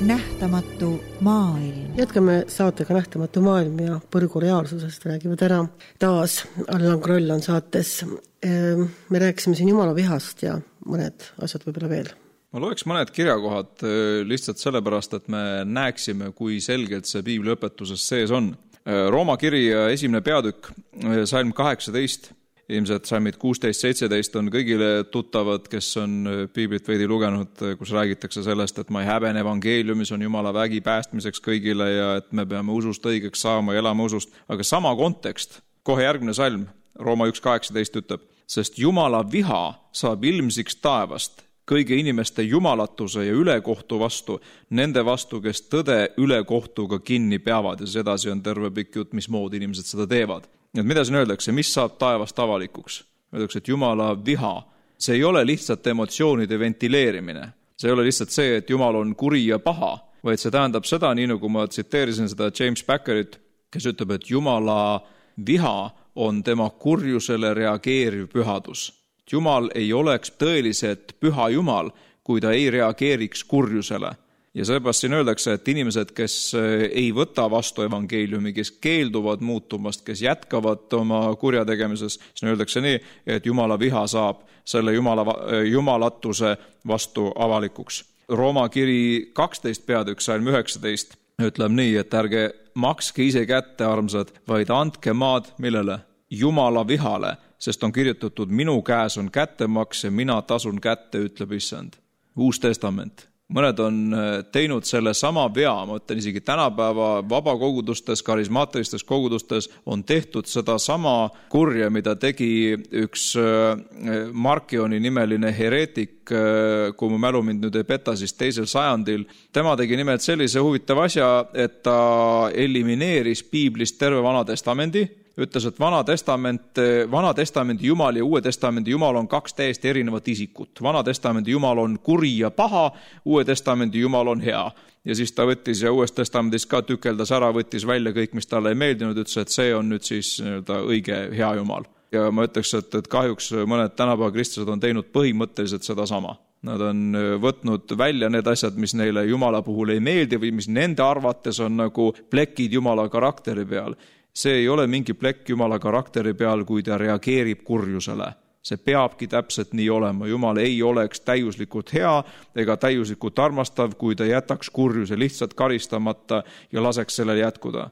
Nähtamatu maailm. Jätkame saatega Nähtamatu maailm ja põrgu reaalsusest räägivad ära. Taas Allan Kroll on saates. Me rääkisime siin Jumala vihast ja mõned asjad võib-olla veel. Ma loeks mõned kirjakohad lihtsalt sellepärast, et me näeksime, kui selgelt see piibli õpetuses sees on. Rooma kiri 1. peatükk, salm 18, ilmselt salmid 16-17 on kõigile tuttavad, kes on piiblit veidi lugenud, kus räägitakse sellest, et ma ei häbene evangeeliumis on Jumala vägi päästmiseks kõigile ja et me peame usust õigeks saama ja elama usust. Aga sama kontekst, kohe järgmine salm, Rooma 1.18 ütleb, sest Jumala viha saab ilmsiks taevast kõigi inimeste jumalatuse ja ülekohtu vastu, nende vastu, kes tõde ülekohtuga kinni peavad ja siis edasi on terve pikk jutt, mismoodi inimesed seda teevad. Et mida siin öeldakse, mis saab taevast avalikuks? Öeldakse, et Jumala viha, see ei ole lihtsalt emotsioonide ventileerimine. See ei ole lihtsalt see, et Jumal on kuri ja paha, vaid see tähendab seda, nii nagu ma tsiteerisin seda James Packerit, kes ütleb, et Jumala viha on tema kurjusele reageeriv pühadus. Jumal ei oleks tõeliselt püha Jumal, kui ta ei reageeriks kurjusele. Ja seepärast siin öeldakse, et inimesed, kes ei võta vastu evangeeliumi, kes keelduvad muutumast, kes jätkavad oma kurjategemises, siis öeldakse nii, et Jumala viha saab selle jumalatuse vastu avalikuks. Rooma kiri 12 peatükk salm 19 ütleb nii, et ärge makske ise kätte, armsad, vaid andke maad millele? Jumala vihale, sest on kirjutatud, minu käes on kättemaks ja mina tasun kätte, ütleb Issand. Uus testament. Mõned on teinud selle sama vea, ma ütlen isegi tänapäeva vabakogudustes, karismaatilistes kogudustes on tehtud seda sama kurja, mida tegi üks Markioni nimeline hereetik, kui mu mälu mind nüüd ei peta, siis 2. sajandil. Tema tegi nimelt sellise huvitav asja, et ta elimineeris piiblist terve Vana Testamendi, ütles, et Vana Testamendi Jumal ja Uue Testamendi Jumal on 2 täiesti erinevat isikut. Vana Testamendi Jumal on kuri ja paha, Uue Testamendi Jumal on hea. Ja siis ta võttis ja Uues Testamendis ka tükeldas ära, võttis välja kõik, mis talle ei meeldinud, ütles, et see on nüüd siis õige hea Jumal. Ja ma ütleks, et kahjuks mõned tänapäeva kristlased on teinud põhimõtteliselt seda sama. Nad on võtnud välja need asjad, mis neile Jumala puhul ei meeldi või mis nende arvates on nagu plekid Jumala karakteri peal. See ei ole mingi plekk Jumala karakteri peal, kui ta reageerib kurjusele. See peabki täpselt nii olema. Jumal ei oleks täiuslikult hea ega täiuslikult armastav, kui ta jätaks kurjuse lihtsalt karistamata ja laseks sellel jätkuda.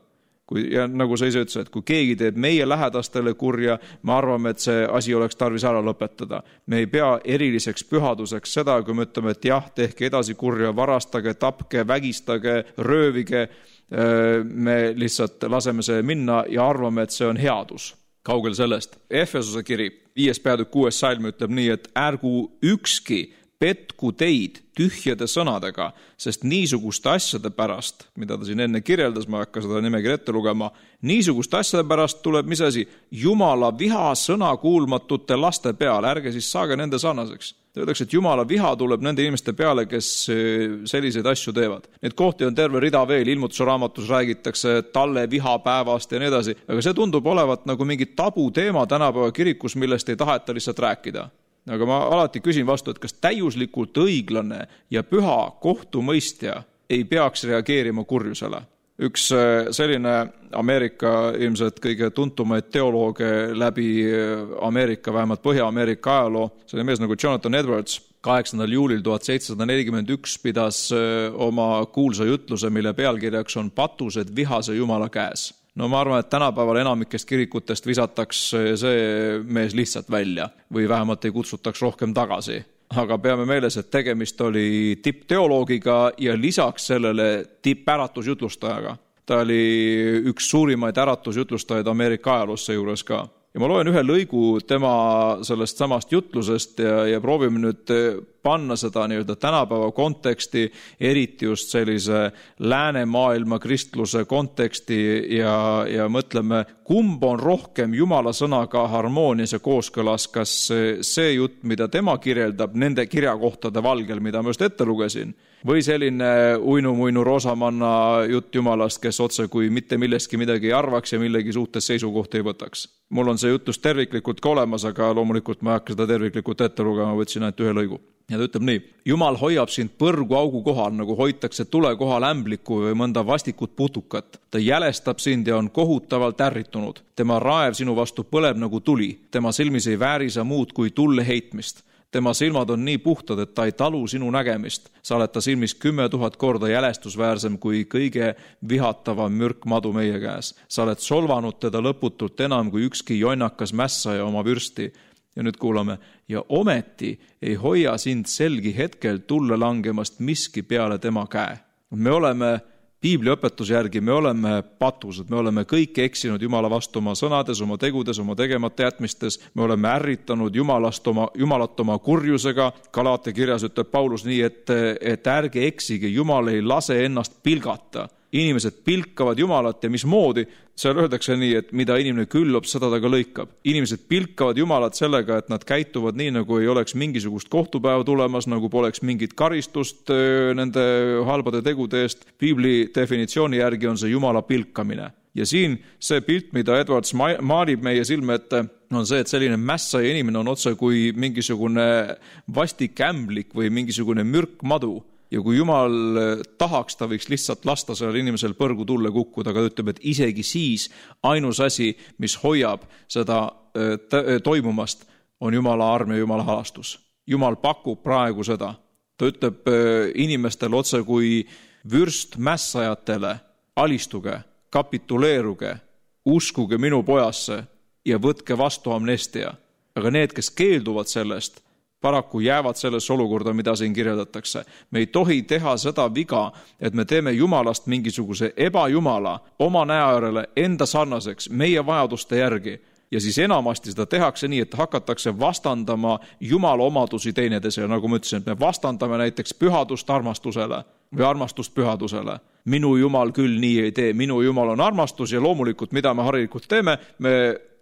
Ja nagu sa ise ütlesid, et kui keegi teeb meie lähedastele kurja, me arvame, et see asi oleks tarvis ära lõpetada. Me ei pea eriliseks pühaduseks seda, kui me ütleme, et jah, tehke edasi kurja, varastage, tapke, vägistage, röövige, me lihtsalt laseme see minna ja arvame, et see on headus. Kaugel sellest. Efesuse kiri 5. peatükk 6. salm ütleb nii, et ärgu ükski petku teid tühjade sõnadega, sest niisuguste asjade pärast, mida ta siin enne kirjeldas, ma hakka seda nimekirja ette lugema, niisuguste asjade pärast tuleb, mis asi? Jumala viha sõna kuulmatute laste peale, ärge siis saage nende sarnaseks. Öeldakse, et Jumala viha tuleb nende inimeste peale, kes selliseid asju teevad. Need kohti on terve rida veel, Ilmutuse raamatus räägitakse talle vihapäevast ja nii edasi, aga see tundub olevat nagu mingi tabu teema tänapäeva kirikus, millest ei taheta lihtsalt rääkida. Aga ma alati küsin vastu, et kas täiuslikult õiglane ja püha kohtumõistja ei peaks reageerima kurjusele. Üks selline Ameerika ilmselt kõige tuntumaid teolooge läbi Ameerika, vähemalt Põhja-Ameerika ajaloo, see oli mees nagu Jonathan Edwards, 8. juulil 1741 pidas oma kuulsa jutluse, mille pealkirjaks on Patused vihase Jumala käes. No ma arvan, et tänapäeval enamikest kirikutest visataks see mees lihtsalt välja või vähemalt ei kutsutaks rohkem tagasi. Aga peame meeles, et tegemist oli tippteoloogiga ja lisaks sellele tippäratusjutlustajaga. Ta oli üks suurimaid äratusjutlustajaid Ameerika ajaloos juures ka. Ja ma loen ühe lõigu tema sellest samast jutlusest ja proovime nüüd panna seda nii-öelda tänapäeva konteksti, eriti just sellise läänemaailma kristluse konteksti ja mõtleme, kumb on rohkem Jumala sõnaga harmoonias ja kooskõlas, kas see jutt, mida tema kirjeldab nende kirjakohtade valgel, mida ma just ette lugesin, või selline uinu-muinu roosamanna jutt Jumalast, kes otse kui mitte millestki midagi ei arvaks ja millegi suhtes seisukohti ei võtaks. Mul on see jutlus terviklikult ka olemas, aga loomulikult ma ei hakka seda terviklikult ette lugema, võtsin ainult ühe lõigu. Ja ta ütleb nii, Jumal hoiab sind põrgu augu kohal, nagu hoitakse tule kohal ämbliku või mõnda vastikut putukat. Ta jälestab sind ja on kohutavalt ärritunud. Tema raev sinu vastu põleb nagu tuli. Tema silmis ei väärisa muud kui tulle heitmist. Tema silmad on nii puhtad, et ta ei talu sinu nägemist. Sa oled ta silmis 10 000 korda jälestusväärsem kui kõige vihatavam mürkmadu meie käes. Sa oled solvanud teda lõputult enam kui ükski jonnakas mässaja oma vürsti. Ja nüüd kuulame, ja ometi ei hoia sind selgi hetkel tulle langemast miski peale tema käe. Me oleme Piibliõpetuse järgi, me oleme patused, me oleme kõik eksinud Jumala vastu oma sõnades, oma tegudes, oma tegemata jätmistes, me oleme ärritanud Jumalat oma kurjusega. Galaate kirjas ütleb Paulus nii, et ärge eksige, Jumal ei lase ennast pilgata. Inimesed pilkavad Jumalat ja mismoodi, seal öeldakse nii, et mida inimene küllab, seda ta ka lõikab. Inimesed pilkavad Jumalat sellega, et nad käituvad nii, nagu ei oleks mingisugust kohtupäeva tulemas, nagu poleks mingit karistust nende halbade tegude eest. Piibli definitsiooni järgi on see Jumala pilkamine. Ja siin see pilt, mida Edwards maalib meie silme ette, on see, et selline mässaja inimene on otse kui mingisugune vastik ämblik või mingisugune mürkmadu. ja kui Jumal tahaks, ta võiks lihtsalt lasta sellel inimesel põrgu tulle kukkuda, aga ta ütleb, et isegi siis ainus asi, mis hoiab seda toimumast, on Jumala arm ja Jumala halastus. Jumal pakub praegu seda. Ta ütleb inimestele otse kui vürst mässajatele, alistuge, kapituleeruge, uskuge minu pojasse ja võtke vastu amnestia. Aga need, kes keelduvad sellest, paraku jäävad sellesse olukorda, mida siin kirjeldatakse. Me ei tohi teha seda viga, et me teeme Jumalast mingisuguse ebajumala oma näärele enda sarnaseks, meie vajaduste järgi. Ja siis enamasti seda tehakse nii, et hakatakse vastandama Jumala omadusi teineteisele, nagu ma ütlesin, et me vastandame näiteks pühadust armastusele või armastust pühadusele. Minu Jumal küll nii ei tee, minu Jumal on armastus ja loomulikult, mida me harilikult teeme, me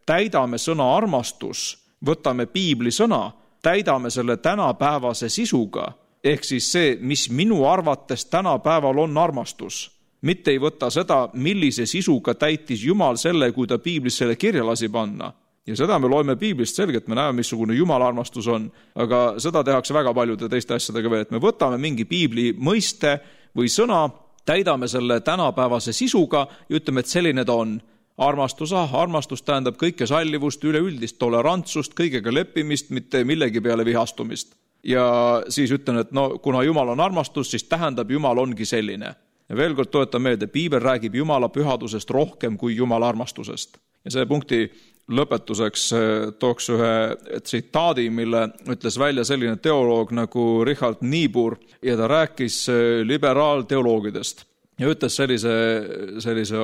täidame sõna armastus, võtame piibli sõna, täidame selle tänapäevase sisuga, ehk siis see, mis minu arvates tänapäeval on armastus. Mitte ei võta seda, millise sisuga täitis Jumal selle, kui ta piiblis selle kirja lasi panna. Ja seda me loeme piiblist selgelt, me näeme, missugune Jumala armastus on, aga seda tehakse väga paljude teiste asjadega veel, et me võtame mingi piibli mõiste või sõna, täidame selle tänapäevase sisuga ja ütleme, et selline ta on. Armastus tähendab kõike sallivust, üleüldist tolerantsust, kõigega leppimist, mitte millegi peale vihastumist. Ja siis ütlen, et kuna Jumal on armastus, siis tähendab Jumal ongi selline. Ja veel kord toetan meelde, piibel räägib Jumala pühadusest rohkem kui Jumala armastusest. Ja see punkti lõpetuseks tooks ühe tsitaadi, mille ütles välja selline teoloog nagu Richard Niebuhr ja ta rääkis liberaalteoloogidest. Ja ütles sellise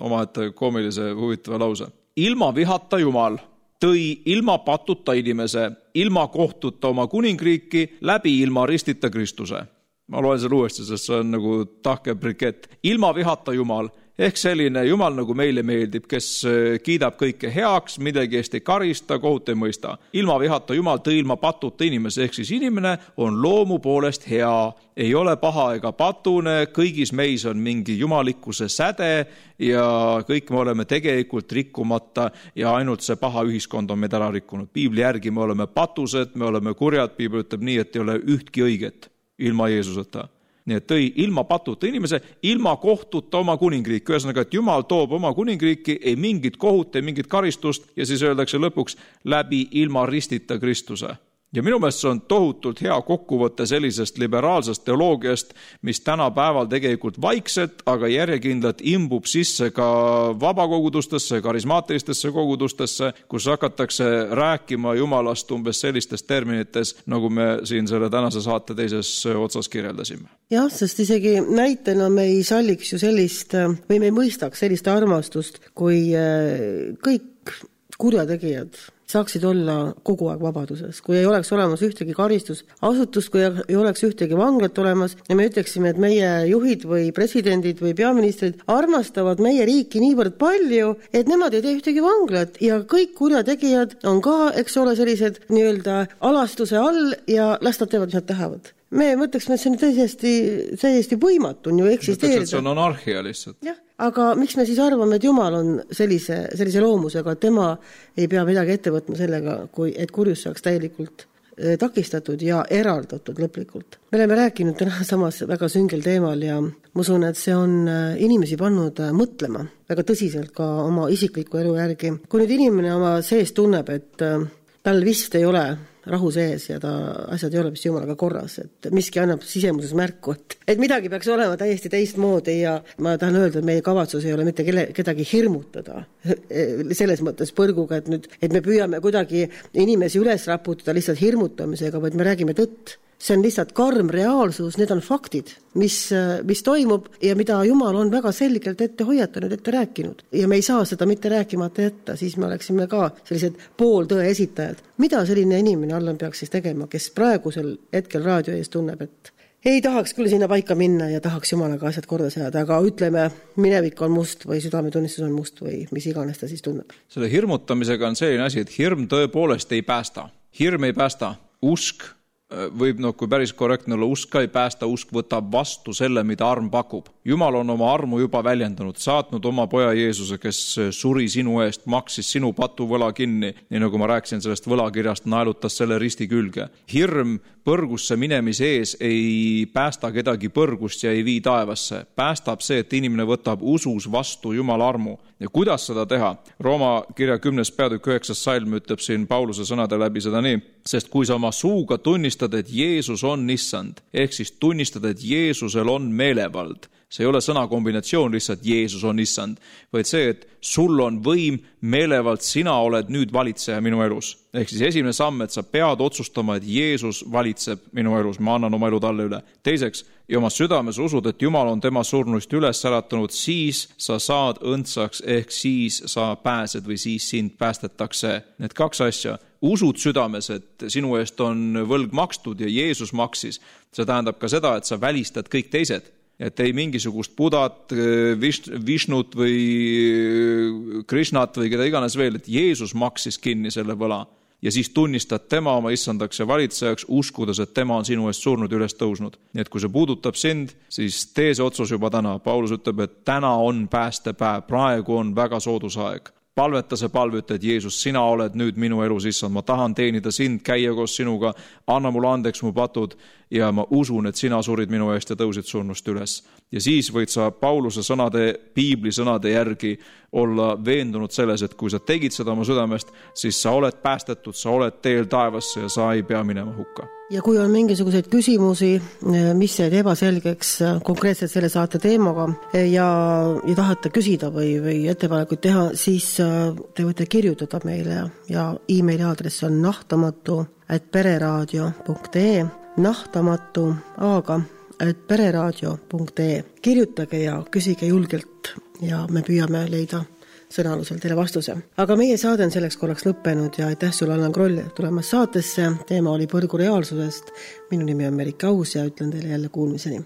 omaette koomilise huvitava lause. Ilma vihata Jumal tõi ilma patuta inimese, ilma kohtuta oma kuningriiki, läbi ilma ristita Kristuse. Ma loen selle uuesti, sest see on nagu tahke brikett. Ilma vihata Jumal, ehk selline Jumal nagu meile meeldib, kes kiidab kõike heaks, midagi eest ei karista, kohut ei mõista. Ilma vihata Jumal tõi ilma patuta inimese, ehk siis inimene on loomu poolest hea, ei ole paha ega patune, kõigis meis on mingi jumalikkuse säde ja kõik me oleme tegelikult rikkumata ja ainult see paha ühiskond on meid ära rikkunud. Piibli järgi me oleme patused, me oleme kurjad, piibel ütleb nii, et ei ole ühtki õiget ilma Jeesuseta. Nii et tõi ilma patuta inimese, ilma kohtuta oma kuningriiki. Ühesõnaga, et Jumal toob oma kuningriiki, ei mingit kohut, ei mingit karistust ja siis öeldakse lõpuks läbi ilma ristita Kristuse. Ja minu meelest see on tohutult hea kokkuvõte sellisest liberaalsest teoloogiast, mis tänapäeval tegelikult vaikselt, aga järjekindlalt imbub sisse ka vabakogudustesse, karismaatilistesse kogudustesse, kus hakatakse rääkima Jumalast umbes sellistes terminites, nagu me siin selle tänase saate teises otsas kirjeldasime. Jah, sest isegi näitena me ei salliks ju sellist, või me ei mõistaks sellist armastust, kui kõik kurjategijad saaksid olla kogu aeg vabaduses, kui ei oleks olemas ühtegi karistusasutust, kui ei oleks ühtegi vanglat olemas ja me ütleksime, et meie juhid või presidendid või peaministrid armastavad meie riiki niivõrd palju, et nemad ei tee ühtegi vanglat ja kõik kurjategijad on ka, eks ole, sellised nii-öelda alastuse all ja las nad teevad, mis nad tahavad. Me mõtleksime, et see on täiesti võimatu on ju eksisteerida. See on anarhia lihtsalt. Jah, aga miks me siis arvame, et Jumal on sellise loomusega, et tema ei pea midagi ette võtma sellega, et kurjus saaks täielikult takistatud ja eraldatud lõplikult. Me oleme rääkinud täna samas väga süngel teemal ja ma usun, et see on inimesi pannud mõtlema väga tõsiselt ka oma isikliku elu järgi. Kui nüüd inimene oma sees tunneb, et tal vist ei ole rahu sees ja asjad ei ole vist Jumalaga korras, et miski annab sisemuses märku, et midagi peaks olema täiesti teistmoodi ja ma tahan öelda, et meie kavatsus ei ole mitte kedagi hirmutada selles mõttes põrguga, et me püüame kuidagi inimesi üles raputada lihtsalt hirmutamisega, vaid me räägime tõtt. See on lihtsalt karm reaalsus, need on faktid, mis toimub ja mida Jumal on väga selgelt ette hoiatanud, ette rääkinud. Ja me ei saa seda mitte rääkimata jätta, siis me oleksime ka sellised pooltõe esitajad. Mida selline inimene Allan peaks siis tegema, kes praegusel hetkel raadio ees tunneb, et ei tahaks küll sinna paika minna ja tahaks Jumalaga asjad korda seada, aga ütleme, minevik on must või südametunnistus on must või mis iganes ta siis tunneb. Selle hirmutamisega on selline asi, et hirm tõepoolest ei päästa. Hirm ei päästa. Usk võib, kui päris korrektne olla, usk ka ei päästa, usk võtab vastu selle, mida arm pakub. Jumal on oma armu juba väljendanud, saatnud oma poja Jeesuse, kes suri sinu eest, maksis sinu patuvõla kinni, nii nagu ma rääkisin sellest võlakirjast, naelutas selle risti külge. Hirm põrgusse minemise ees ei päästa kedagi põrgust ja ei vii taevasse. Päästab see, et inimene võtab usus vastu Jumala armu. Ja kuidas seda teha? Rooma kirja 10. peatükk 9. salm ütleb siin Pauluse sõnade läbi seda nii, sest kui sa oma suuga tunnistad, et Jeesus on issand, ehk siis tunnistad, et Jeesusel on meelevald, see ei ole sõnakombinatsioon lihtsalt Jeesus on issand, vaid see, et sul on võim, meelevald, sina oled nüüd valitseja minu elus. Ehk siis esimene samm, et sa pead otsustama, et Jeesus valitseb minu elus, ma annan oma elu talle üle. Teiseks, ja oma südames usud, et Jumal on tema surnuist üles äratanud, siis sa saad õndsaks, ehk siis sa pääsed või siis sind päästetakse. Need kaks asja. Usud südames, et sinu eest on võlg makstud ja Jeesus maksis. See tähendab ka seda, et sa välistad kõik teised. Et ei mingisugust Budat, Vishnut või Krishnat või keda iganes veel, et Jeesus maksis kinni selle võla ja siis tunnistad tema oma issandaks ja valitsejaks, uskudes, et tema on sinu eest surnud üles tõusnud. Nii et kui see puudutab sind, siis tee see otsus juba täna. Paulus ütleb, et täna on päästepäev, praegu on väga soodus aeg. Palveta see palveta, et Jeesus, sina oled nüüd minu elus issand, ma tahan teenida sind, käia koos sinuga, anna mulle andeks mu patud ja ma usun, et sina surid minu eest ja tõusid surnust üles. Ja siis võid sa Pauluse sõnade, piibli sõnade järgi olla veendunud selles, et kui sa tegid seda oma südamest, siis sa oled päästetud, sa oled teel taevasse ja sa ei pea minema hukka. Ja kui on mingisuguseid küsimusi, mis jäid ebaselgeks konkreetselt selle saate teemaga ja tahate küsida või ettepanekuid teha, siis te võite kirjutada meile ja e-maili aadress on nahtamatu@pereradio.ee nahtamatu@pereradio.ee Kirjutage ja küsige julgelt ja me püüame leida sõnalusel teile vastuse. Aga meie saade on selleks korraks lõppenud ja aitäh sulle, Allan Kroll, tulemas saatesse. Teema oli põrgu reaalsusest. Minu nimi on Merike Aus ja ütlen teile jälle kuulmiseni.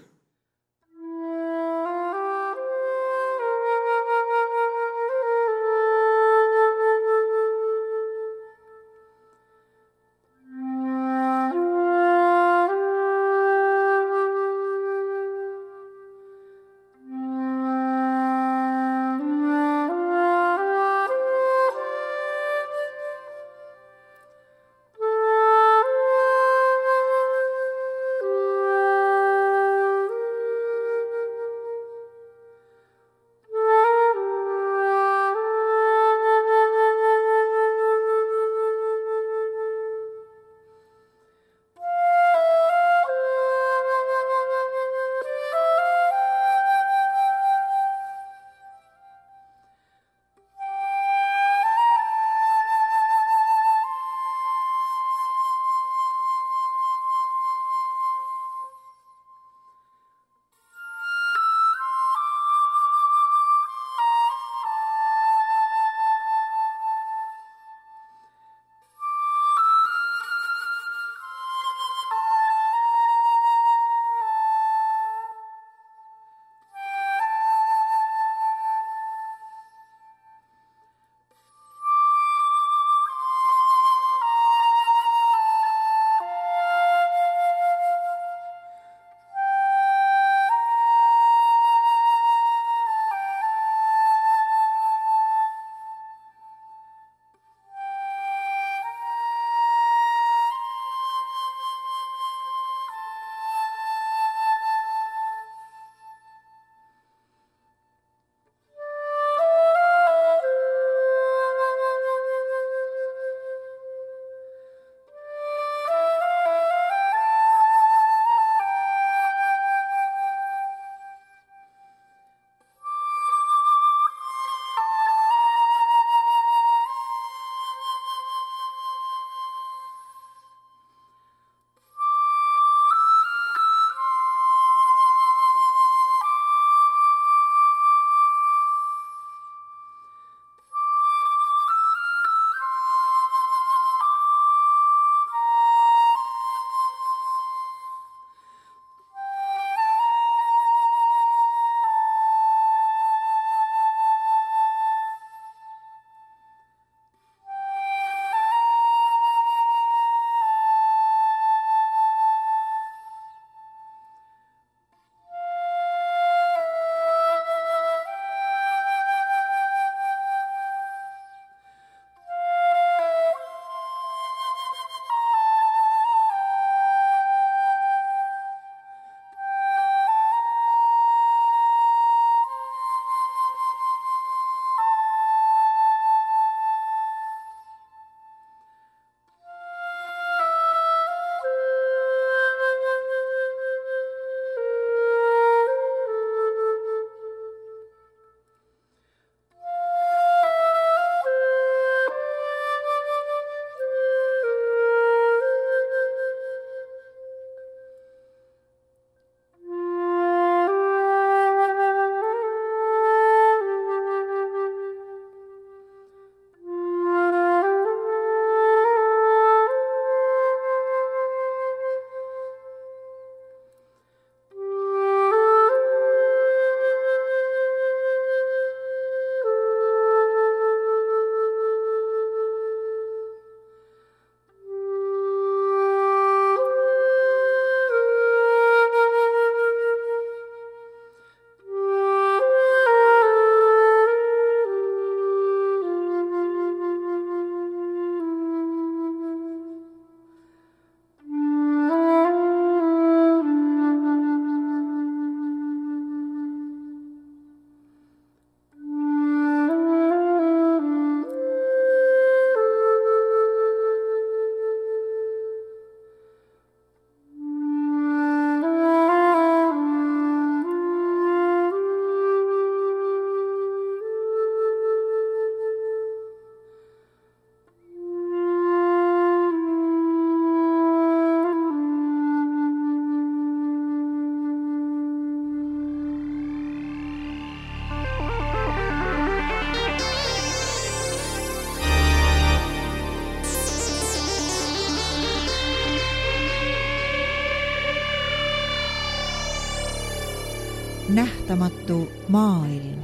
nähtamatu maailm.